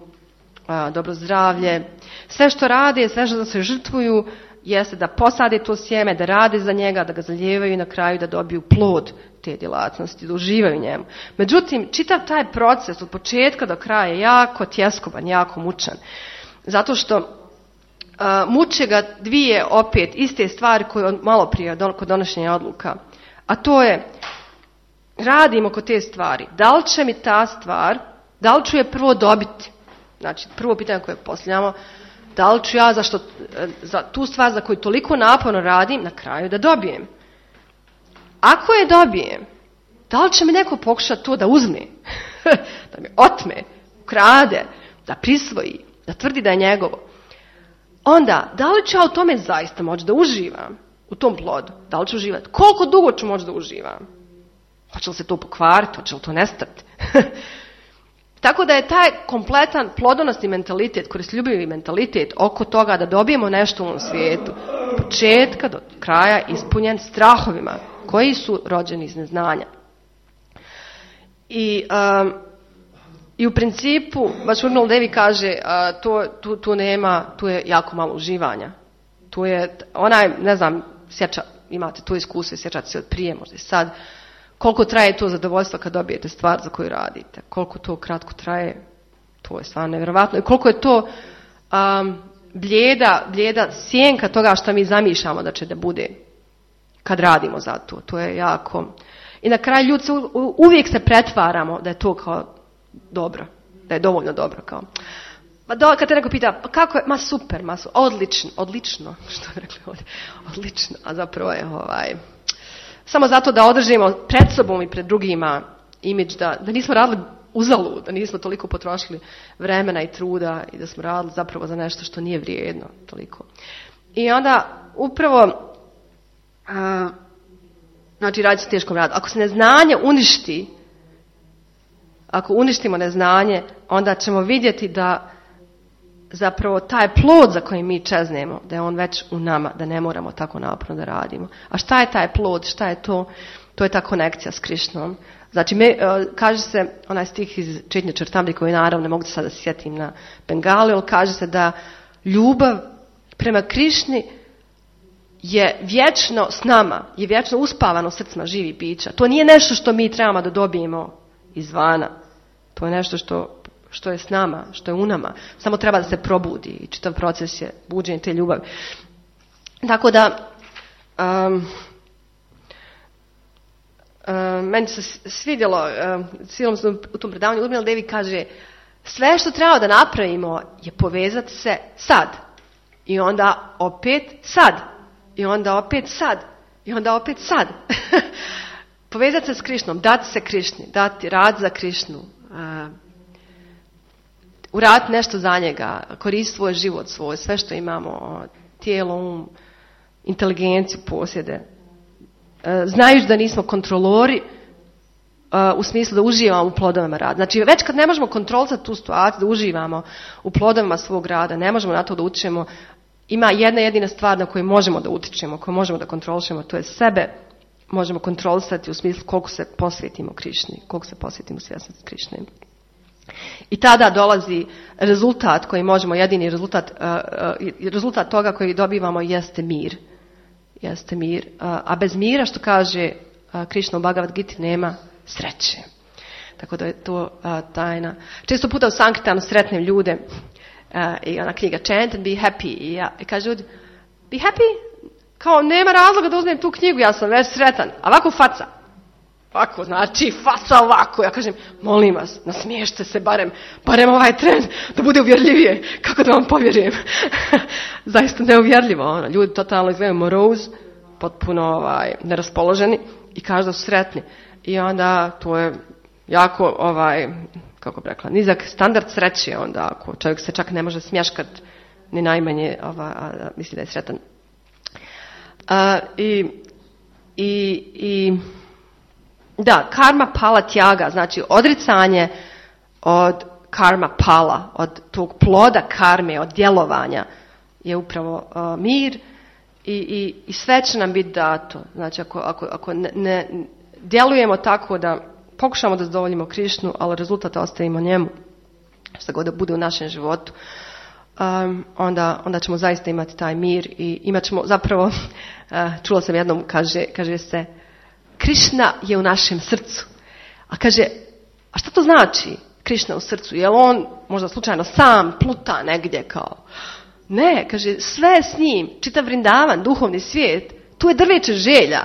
dobro zdravlje. Sve što rade, sve što se žrtvuju, jeste da posade to sjeme, da rade za njega, da ga zalijevaju i na kraju da dobiju plod te djelatnosti, da uživaju u njemu. Međutim, čitav taj proces od početka do kraja je jako tjeskoban, jako mučan. Zato što muče ga dvije opet iste stvari koje malo prije kod donošenja odluka. A to je, radimo kod te stvari. Da li će mi ta stvar, da li ću je prvo dobiti? Znači, prvo pitanje koje postavljamo, da li ću ja za tu stvar za koju toliko naporno radim na kraju da dobijem? Ako je dobijem, da li će mi neko pokušati to da uzme, da mi otme, ukrade, da prisvoji, da tvrdi da je njegovo? Onda, da li ću ja u tome zaista moći da uživam u tom plodu? Da li ću uživati? Koliko dugo ću moći da uživam? Hoće li se to pokvariti? Hoće li to nestati? Tako da je taj kompletan plodonosni mentalitet, koristoljubivi mentalitet oko toga da dobijemo nešto u ovom svijetu, od početka do kraja ispunjen strahovima koji su rođeni iz neznanja. I u principu, baš Urnal Devi kaže, tu je jako malo uživanja. Tu je ne znam, imate to iskustvo, sjećate se od prije, možda i sad. Koliko traje to zadovoljstvo kad dobijete stvar za koju radite? Koliko to kratko traje? To je stvarno nevjerovatno. I koliko je to blijeda sjenka toga što mi zamišljamo da će da bude kad radimo za to. To je jako... I na kraju ljudi uvijek se pretvaramo da je to kao dobro. Da je dovoljno dobro. Kao. Kad te neko pita, pa kako je? Super, odlično. Što je rekli ovdje? Odlično. A zapravo je samo zato da održimo pred sobom i pred drugima imidž da nismo radili uzalud, da nismo toliko potrošili vremena i truda i da smo radili zapravo za nešto što nije vrijedno toliko. I onda upravo znači radi se teškom radu. Ako se neznanje uništi, ako uništimo neznanje, onda ćemo vidjeti zapravo taj plod za koji mi čeznemo, da je on već u nama, da ne moramo tako naporno da radimo. A šta je taj plod, šta je to? To je ta konekcija s Krišnom. Znači, kaže se, onaj stih iz Čitnje Črtambi koji naravno ne mogu se sada sjetim na bengali, ali kaže se da ljubav prema Krišni je vječno s nama, je vječno uspavano u srcima živih bića. To nije nešto što mi trebamo da dobijemo izvana. To je nešto što je s nama, što je u nama. Samo treba da se probudi i čitav proces je buđenje te ljubavi. Tako da, meni se svidjelo, cijelom u tom predavanju, Urmila Devi kaže, sve što treba da napravimo je povezati se sad. I onda opet sad. I onda opet sad. I onda opet sad. Povezati se s Krišnom, dati se Krišni, dati rad za Krišnu, uraditi nešto za njega, koristiti svoj život svoj, sve što imamo, tijelo, inteligenciju posjede. Znajući da nismo kontrolori u smislu da uživamo u plodovima rada. Znači, već kad ne možemo kontrolisati tu situaciju, da uživamo u plodovima svog rada, ne možemo na to da utječemo, ima jedna jedina stvar na koju možemo da utječemo, koju možemo da kontrolišemo, to je sebe možemo kontrolisati u smislu koliko se posvetimo Krišni, koliko se posvetimo svjesnosti Krišne. I tada dolazi rezultat koji možemo, jedini rezultat toga koji dobivamo jeste mir. Jeste mir. A bez mira, što kaže Krišna u Bhagavad Giti, nema sreće. Tako da je to tajna. Često puta u Sankirtanu sretnem ljude i ona knjiga Chant and Be Happy. I kaže ljudi, be happy? Kao, nema razloga da uzmem tu knjigu, ja sam već sretan. A ovako faca. Ovako, znači faca ovako. Ja kažem, molim vas, nasmiješte se barem ovaj tren da bude uvjerljivije. Kako da vam povjerujem? Zaista neuvjerljivo. Ljudi totalno izgledaju morose, potpuno neraspoloženi i kažu da su sretni. I onda to je jako, kako bi rekla, nizak standard sreće. Onda ako čovjek se čak ne može smješkat ni najmanje, misli da je sretan. Da, karma pala tjaga, znači odricanje od karma pala, od tog ploda karme, od djelovanja je upravo mir i sve će nam biti dato. Znači ako ne djelujemo tako da pokušamo da zadovoljimo Krišnu, ali rezultat ostavimo njemu, što god da bude u našem životu, onda ćemo zaista imati taj mir i imat ćemo zapravo, čula sam jednom, kaže se, Krišna je u našem srcu. A kaže, a šta to znači Krišna u srcu? Je li on možda slučajno sam pluta negdje kao? Ne, kaže, sve s njim, čitav Vrindavan, duhovni svijet, tu je drveće želja.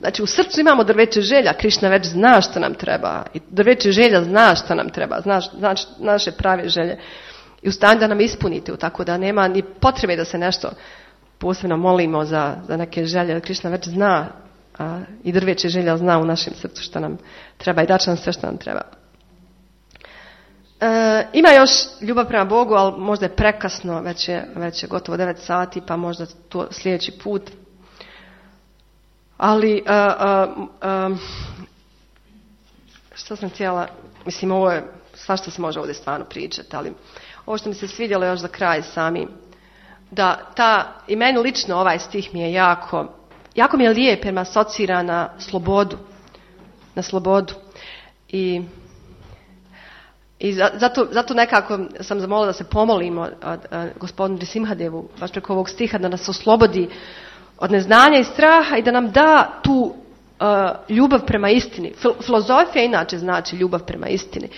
Znači u srcu imamo drveće želja, Krišna već zna što nam treba. I drveće želja zna što nam treba, zna naše prave želje. I u stanju da nam ispunite, tako da nema ni potrebe da se nešto posebno molimo za neke želje. Krišna već zna i drveće želja zna u našem srcu što nam treba i daće nam sve što nam treba. Ima još ljubav prema Bogu, ali možda je prekasno, već je gotovo 9 sati, pa možda to sljedeći put. Ali što sam htjela, mislim ovo je svašta se može ovdje stvarno pričati, ali ovo što mi se svidjelo još za kraj sami, da i meni lično ovaj stih mi je jako mi je lijep jer me asocira na slobodu. I zato nekako sam zamolila da se pomolimo gospodinu Nrisimhadevu baš preko ovog stiha da nas oslobodi od neznanja i straha i da nam da tu ljubav prema istini. Filozofija inače znači ljubav prema istini.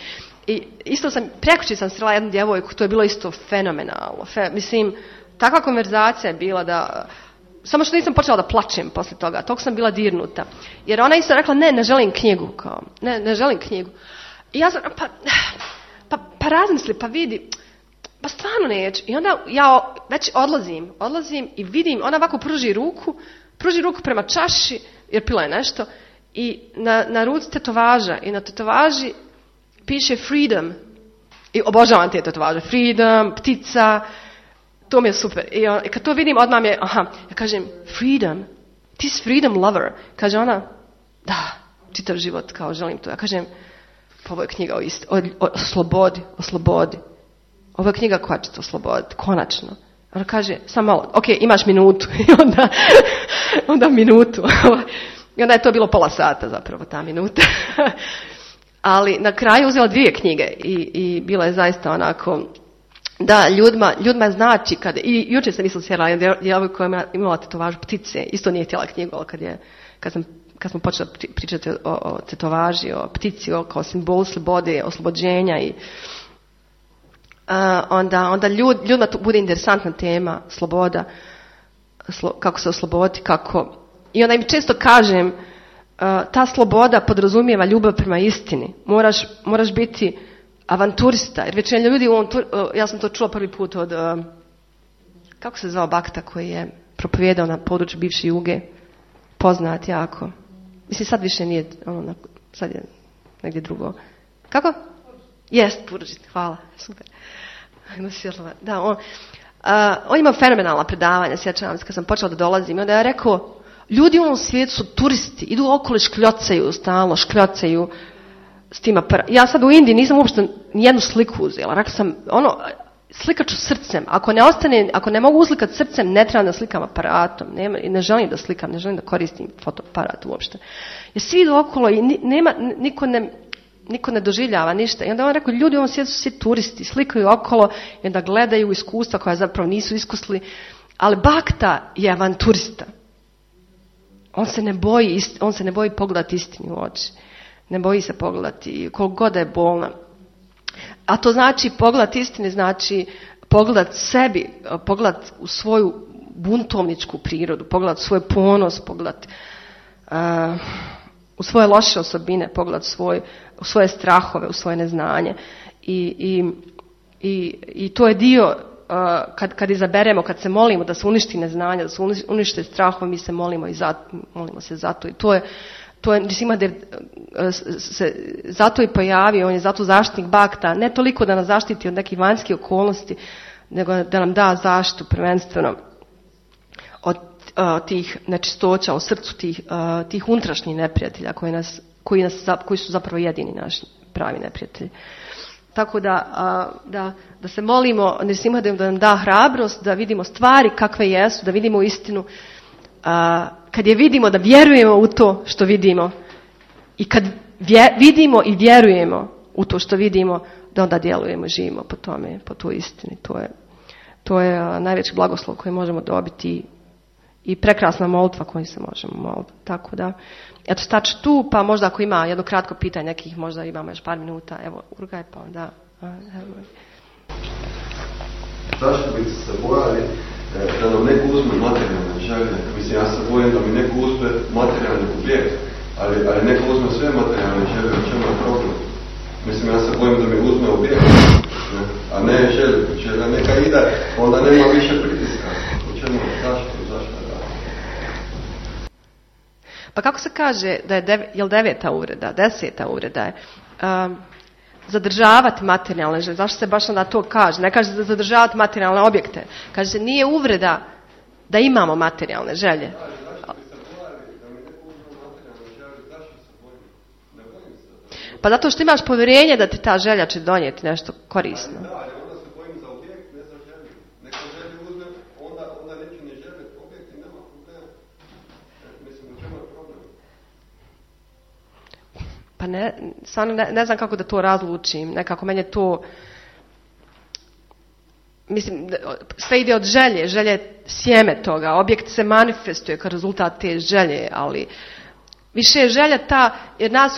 I isto prekući sam srela jednu djevojku, to je bilo isto fenomenalno. Mislim, takva konverzacija je bila da, samo što nisam počela da plačem poslije toga, toliko sam bila dirnuta. Jer ona isto rekla, ne želim knjigu, kao, ne želim knjigu. I ja sam, pa razmisli, pa vidi, pa stvarno neću. I onda ja već odlazim i vidim, ona ovako pruži ruku prema čaši, jer pila je nešto, i na ruci tetovaža, i na tetovaži piše freedom. I obožavam te tetovaže, freedom, ptica, to mi je super. I kad to vidim, odmah mi je, ja kažem, freedom, ti si freedom lover. Kaže ona, da, čitav život, kao želim to. Ja kažem, pa ovo je knjiga o slobodi. ovo je knjiga koja će te osloboditi, konačno. Ona kaže, samo malo, ok, imaš minutu. I onda minutu. I onda je to bilo pola sata zapravo, ta minuta. Ali na kraju uzela 2 knjige i bila je zaista onako, da, ljudima znači kada, i jučer sam isto sjela djevojka koja je imala tetovažu ptice, isto nije htjela knjigu, ali kad smo počeli pričati o tetovaži, o ptici, kao simbolu slobode, oslobođenja i onda ljudima to bude interesantna tema, sloboda, kako se osloboditi, kako. I onda im često kažem, ta sloboda podrazumijeva ljubav prema istini. Moraš biti avanturista, jer većina ljudi ja sam to čula prvi put od, kako se zvao Bakta koji je propovijedao na području bivše Juge, poznat jako. Mislim, sad više nije, sad je negdje drugo. Kako? Jest, Purdžit, hvala, super. Da, on ima fenomenalna predavanja, sjećam se kad sam počela da dolazim, i onda je rekao, ljudi u ovom svijetu su turisti, idu okolo i škljocaju, stalno škljocaju s tim aparatom. Ja sad u Indiji nisam uopšte nijednu sliku uzela, rekla sam, slikat ću srcem, ako ne mogu uslikati srcem, ne trebam da slikam aparatom, ne želim da slikam, ne želim da koristim fotoaparat uopšte. Jer svi idu okolo i niko ne doživljava ništa. I onda on rekao, ljudi u ovom svijetu su svi turisti, slikaju okolo i onda gledaju iskustva koja zapravo nisu iskusili. Ali Bakta je avanturista. On se ne boji pogledati istini u oči. Ne boji se pogledati koliko god da je bolna. A to znači pogledati istini, znači pogledati sebi, pogledati u svoju buntovničku prirodu, pogledati svoj ponos, pogledati u svoje loše osobine, pogledati u svoje strahove, u svoje neznanje. I to je dio, kad izaberemo, kad se molimo da se uništi neznanje, da se unište strahove, mi se molimo se zato. I to je se zato i pojavio, on je zato zaštitnik Bakta, ne toliko da nas zaštiti od nekih vanjskih okolnosti, nego da nam da zaštitu prvenstveno od tih nečistoća u srcu, tih unutrašnjih neprijatelja koji su zapravo jedini naši pravi neprijatelji. Tako da se molimo Nrsimhadevu da nam da hrabrost, da vidimo stvari kakve jesu, da vidimo istinu. Kad je vidimo, da vjerujemo u to što vidimo, i kad vidimo i vjerujemo u to što vidimo, da onda djelujemo, živimo po tome, po toj istini. To je najveći blagoslov koji možemo dobiti i prekrasna molitva koju se možemo moliti. Tako da, eto, staću tu, pa možda ako ima jedno kratko pitanje, nekih možda imamo još par minuta, evo, Urgaj, pa onda. Zašto bi se bojali da nam neko uzme materijalne želje? Mislim, ja se bojim da mi neko uzme materijalni objekt, ali neko uzme sve materijalne želje, u čemu je problem? Mislim, ja se bojim da mi uzme objekt, a ne želje. Želja neka ide, onda nema više pritiska. U čemu, zašto da? Pa kako se kaže da je 9. uvreda, 10. uvreda je zadržavati materijalne želje? Zašto se baš onda to kaže? Ne kaže da zadržavati materijalne objekte. Kaže se nije uvreda da imamo materijalne želje. Pa zato što imaš povjerenje da ti ta želja će donijeti nešto korisno. Pa ne znam kako da to razlučim. Nekako meni je to, mislim, sve ide od želje. Želje je sjeme toga. Objekt se manifestuje kao rezultat te želje, ali više je želja ta, jer nas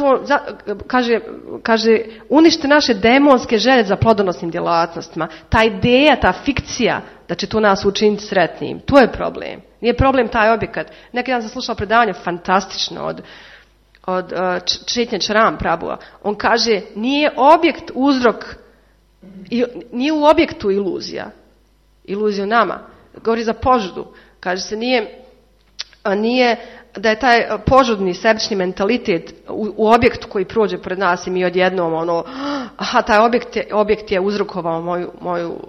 kaže unište naše demonske želje za plodonosnim djelatnostima. Ta ideja, ta fikcija da će to nas učiniti sretnim, to je problem. Nije problem taj objekat. Neki dan sam slušala predavanje fantastično od Četnje Čaram Prabhuva. On kaže, nije objekt uzrok, nije u objektu iluzija u nama. Govori za požudu. Kaže se, nije da je taj požudni sebični mentalitet u objektu koji prođe pred nas i mi odjednom taj objekt je uzrokovao moju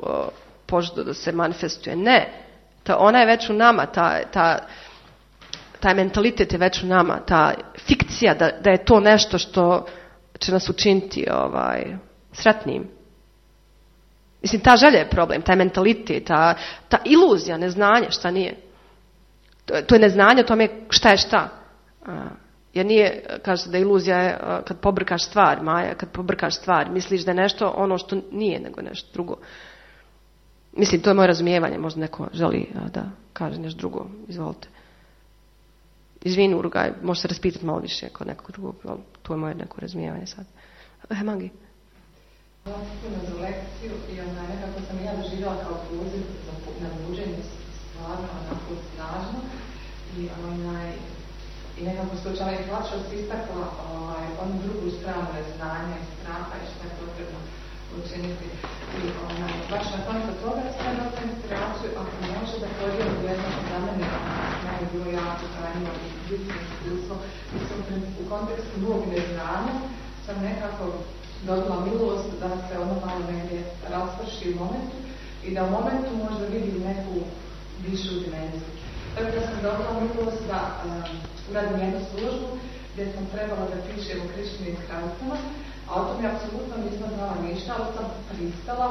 požudu da se manifestuje. Ne, ona je već u nama, taj mentalitet je već u nama, ta fikcija da je to nešto što će nas učiniti sretnim. Mislim, ta želja je problem, taj mentalitet, ta iluzija, neznanje, šta nije. To je neznanje o tome šta je šta. Jer nije, kaže da iluzija je kad pobrkaš stvar, Maja, kad pobrkaš stvar, misliš da je nešto ono što nije, nego nešto drugo. Mislim, to je moje razumijevanje, možda neko želi da kaže nešto drugo, izvolite. Izvini, Urugaj, možeš se raspitati malo više kod nekog drugog, ali to je moje neko razumijevanje sad. Mangi. Hvala za lekciju i nekako sam ja doživjela kao poziv na buđenje stvarno onako snažno i nekako slučajno i plaćost istakla onu drugu stranu neznanja i straha i što je potrebno učiniti. I baš na koncu toga sam dobila inspiraciju, ako može da podijelim jedno za mene je bilo jako trajno i ljudsko iskustvo. Mislim, u kontekstu Bog neznanja sam nekako dobila milost da se ono malo negdje rasprši u momentu i da u momentu možda vidim neku višu dimenziju. Tako da sam dobila milost da uradim jednu službu gdje sam trebala da pišem o Krišnim kraljicama, a o tom je apsolutno nisam znala ništa, ali sam pristala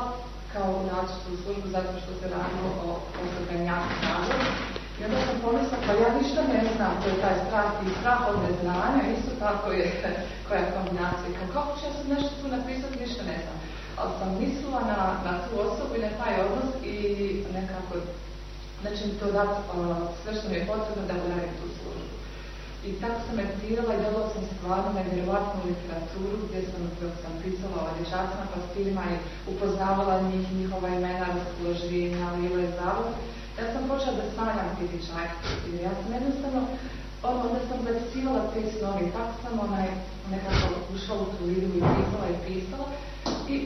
kao naći tu službu zato što se radilo o osobenjaku razlogu. I onda sam pomislila, pa ja ništa ne znam, to je taj strah i strah od neznanja, isto tako je koja je kombinacija. Kako ću ja sad nešto tu napisati, ništa ne znam. Ali sam mislila na tu osobu i na taj odnos i nekako da će mi to dati sve što mi je potrebno da uradim tu službu. I tako sam meditirala i dobila sam stvarno nevjerovatnu literaturu gdje sam pisala o dječacima, pastirima i upoznavala njih, njihova imena, raspoloženja, lile zavod. Ja sam počela da sanjam ti dječaci i ja sam jednostavno, onda sam zapisivala te snovi i tako sam nekako ušla u tu lidu i pisala i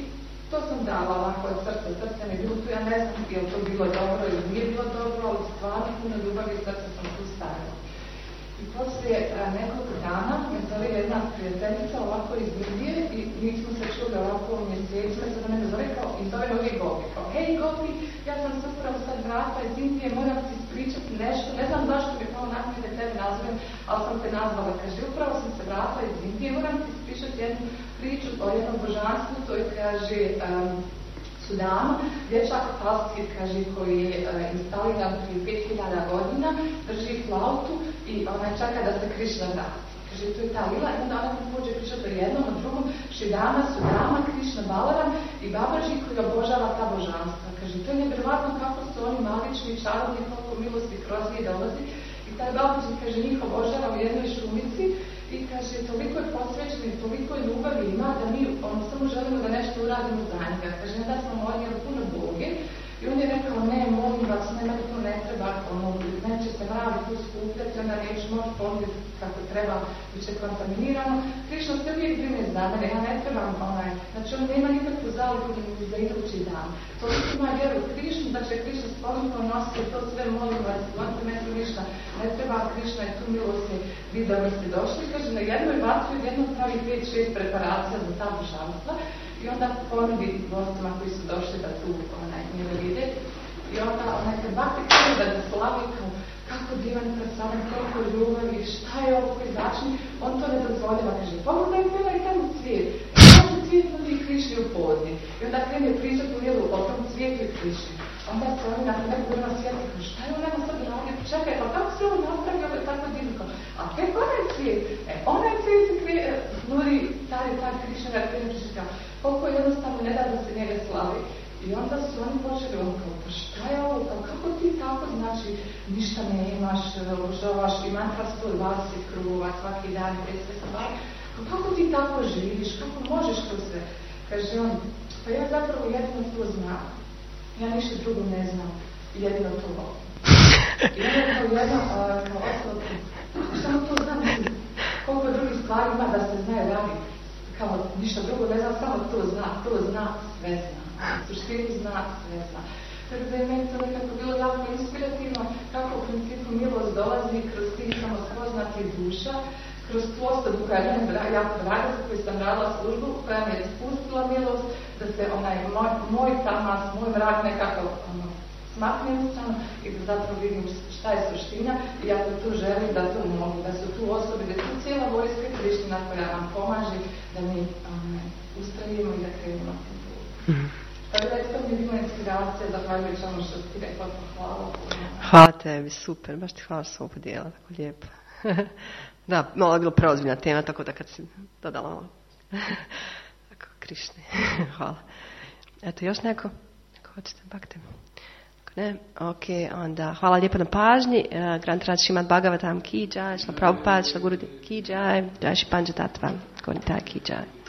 to sam dala ovako od srca mi je bilo tu, ja ne znam je li to bilo dobro ili nije bilo dobro, ali stvarno puno ljubavi i srca sam tu stavila. I poslije nekoliko dana me zove jedna prijateljica ovako iz Indije i mi smo se čuli ovako u mjesecima i sada mene zove kao i zove me uvijek Gopi. Kao, hej Gopi, ja sam se upravo sad vrata iz Indije, moram ti ispričati nešto, ne znam zašto mi je kao nakon da tebe nazovem, ali sam te nazvala. Kaže, upravo sam se vrata iz Indije, moram ti ispričati jednu priču o jednom božanstvu, to je, kaže, Sudanu, dječak pastir, kaže, koji je instaliran prije 5000 godina, drži flautu i ona čeka da se Krišna vrati. Kaže, to je ta lila i onda ona pođe pričati o jednom, o drugom, Šidama, Sudama, Krišna Balaram i Babaži koji obožava ta božanstva. Kaže, to je nevjerovatno kako su oni magični, čarobni, koliko milosti kroz njih dolazi. I taj Babaži, kaže, njih obožava u jednoj šumici i kaže, toliko je posvećeno i toliko je ljubavi ima da mi samo želimo da nešto uradimo za njega. Kaže, ne da smo molili puno Boge i on je rekao, ne, molim vas, nema da to ne treba, neće se mravi tu skupljati, onda neću moći ponuditi kako treba, bit će kontaminirano. Krišna se uvijek brine za mene, ja ne trebam znači on nema nikakvu zaliku za idući dan. Toliko ima vjeru u Krišnu, da će Krišna sposobno nositi to sve, molim vas, vonite me tu ništa, ne treba Krišna i tu milosti, vi dobro ste došli. Kaže, na jednoj vatru jednom pravi 5-6 preparacija za ta božanstva i onda ponudi gostima koji su došli da tu njega vide. I onda kad bati krenu da slavi kako divan predstavljan, koliko ljubavi, šta je ovo koji začini, on to ne dozvoljava, kaže, pogledaj bila i tamo cvijet. I kaže cvijet nudi Krišni u podni. I onda krene pričat u lijelu o tom cvijetu i Krišni. Onda se oni nakon nekog vremena sjeti, kaže, šta je on nema sad radio? Čekaj, pa kako se ovo napravio, ovo je tako divno? A tek onaj cvijet, onaj cvijet se nudi taj Krišna krene, koliko jednostavno ne da se njega slavi. I onda su oni počeli kao, pa šta je ovo, kako ti tako, znači, ništa ne imaš, obožavaš i mantra 120 krugova svaki dan, sve se bavi, kako ti tako živiš, kako možeš to sve? Kaže on, pa ja zapravo jedino to znam, ja ništa drugo ne znam, jedino to volim. I on je kao jedna, kao osoba, samo to znam, koliko drugih stvari ima da se znaje radi, kao ništa drugo ne znam, samo to zna, sve zna. Suštini zna, sve zna. Tako da je meni to nekako bilo jako inspirativno kako u principu milost dolazi kroz tih samospoznatih duša, kroz tu osobu koja je meni jako draga, za koju sam radila službu, koja mi je spustila milost, da se moj tamas, moj mrak nekako smakne ustrano i da zapravo vidim šta je suština i ako tu želim da to mogu, da su tu osobe, da je tu cijela vojska Kriština koja nam pomaže da mi ustrajimo i da krenemo. Tako da je to mi inspiracija, zahvaljujući ono što ti rekla, hvala. Hvala tebi, super, baš ti hvala što sam ovo podijela, tako lijepo. Da, malo je bilo preozbiljna tema, tako da kad si dodala malo. Tako, Krišni, hvala. Eto, još neko? Ako hoćete, bakte. Ako ne, ok, onda hvala lijepo na pažnji. Grantaraj Šrimad Bhagavatam ki jai, Šrila Prabhupada, Šrila Gurudev ki jai, Jai Shri Panchatatva, Gonitai ki jai.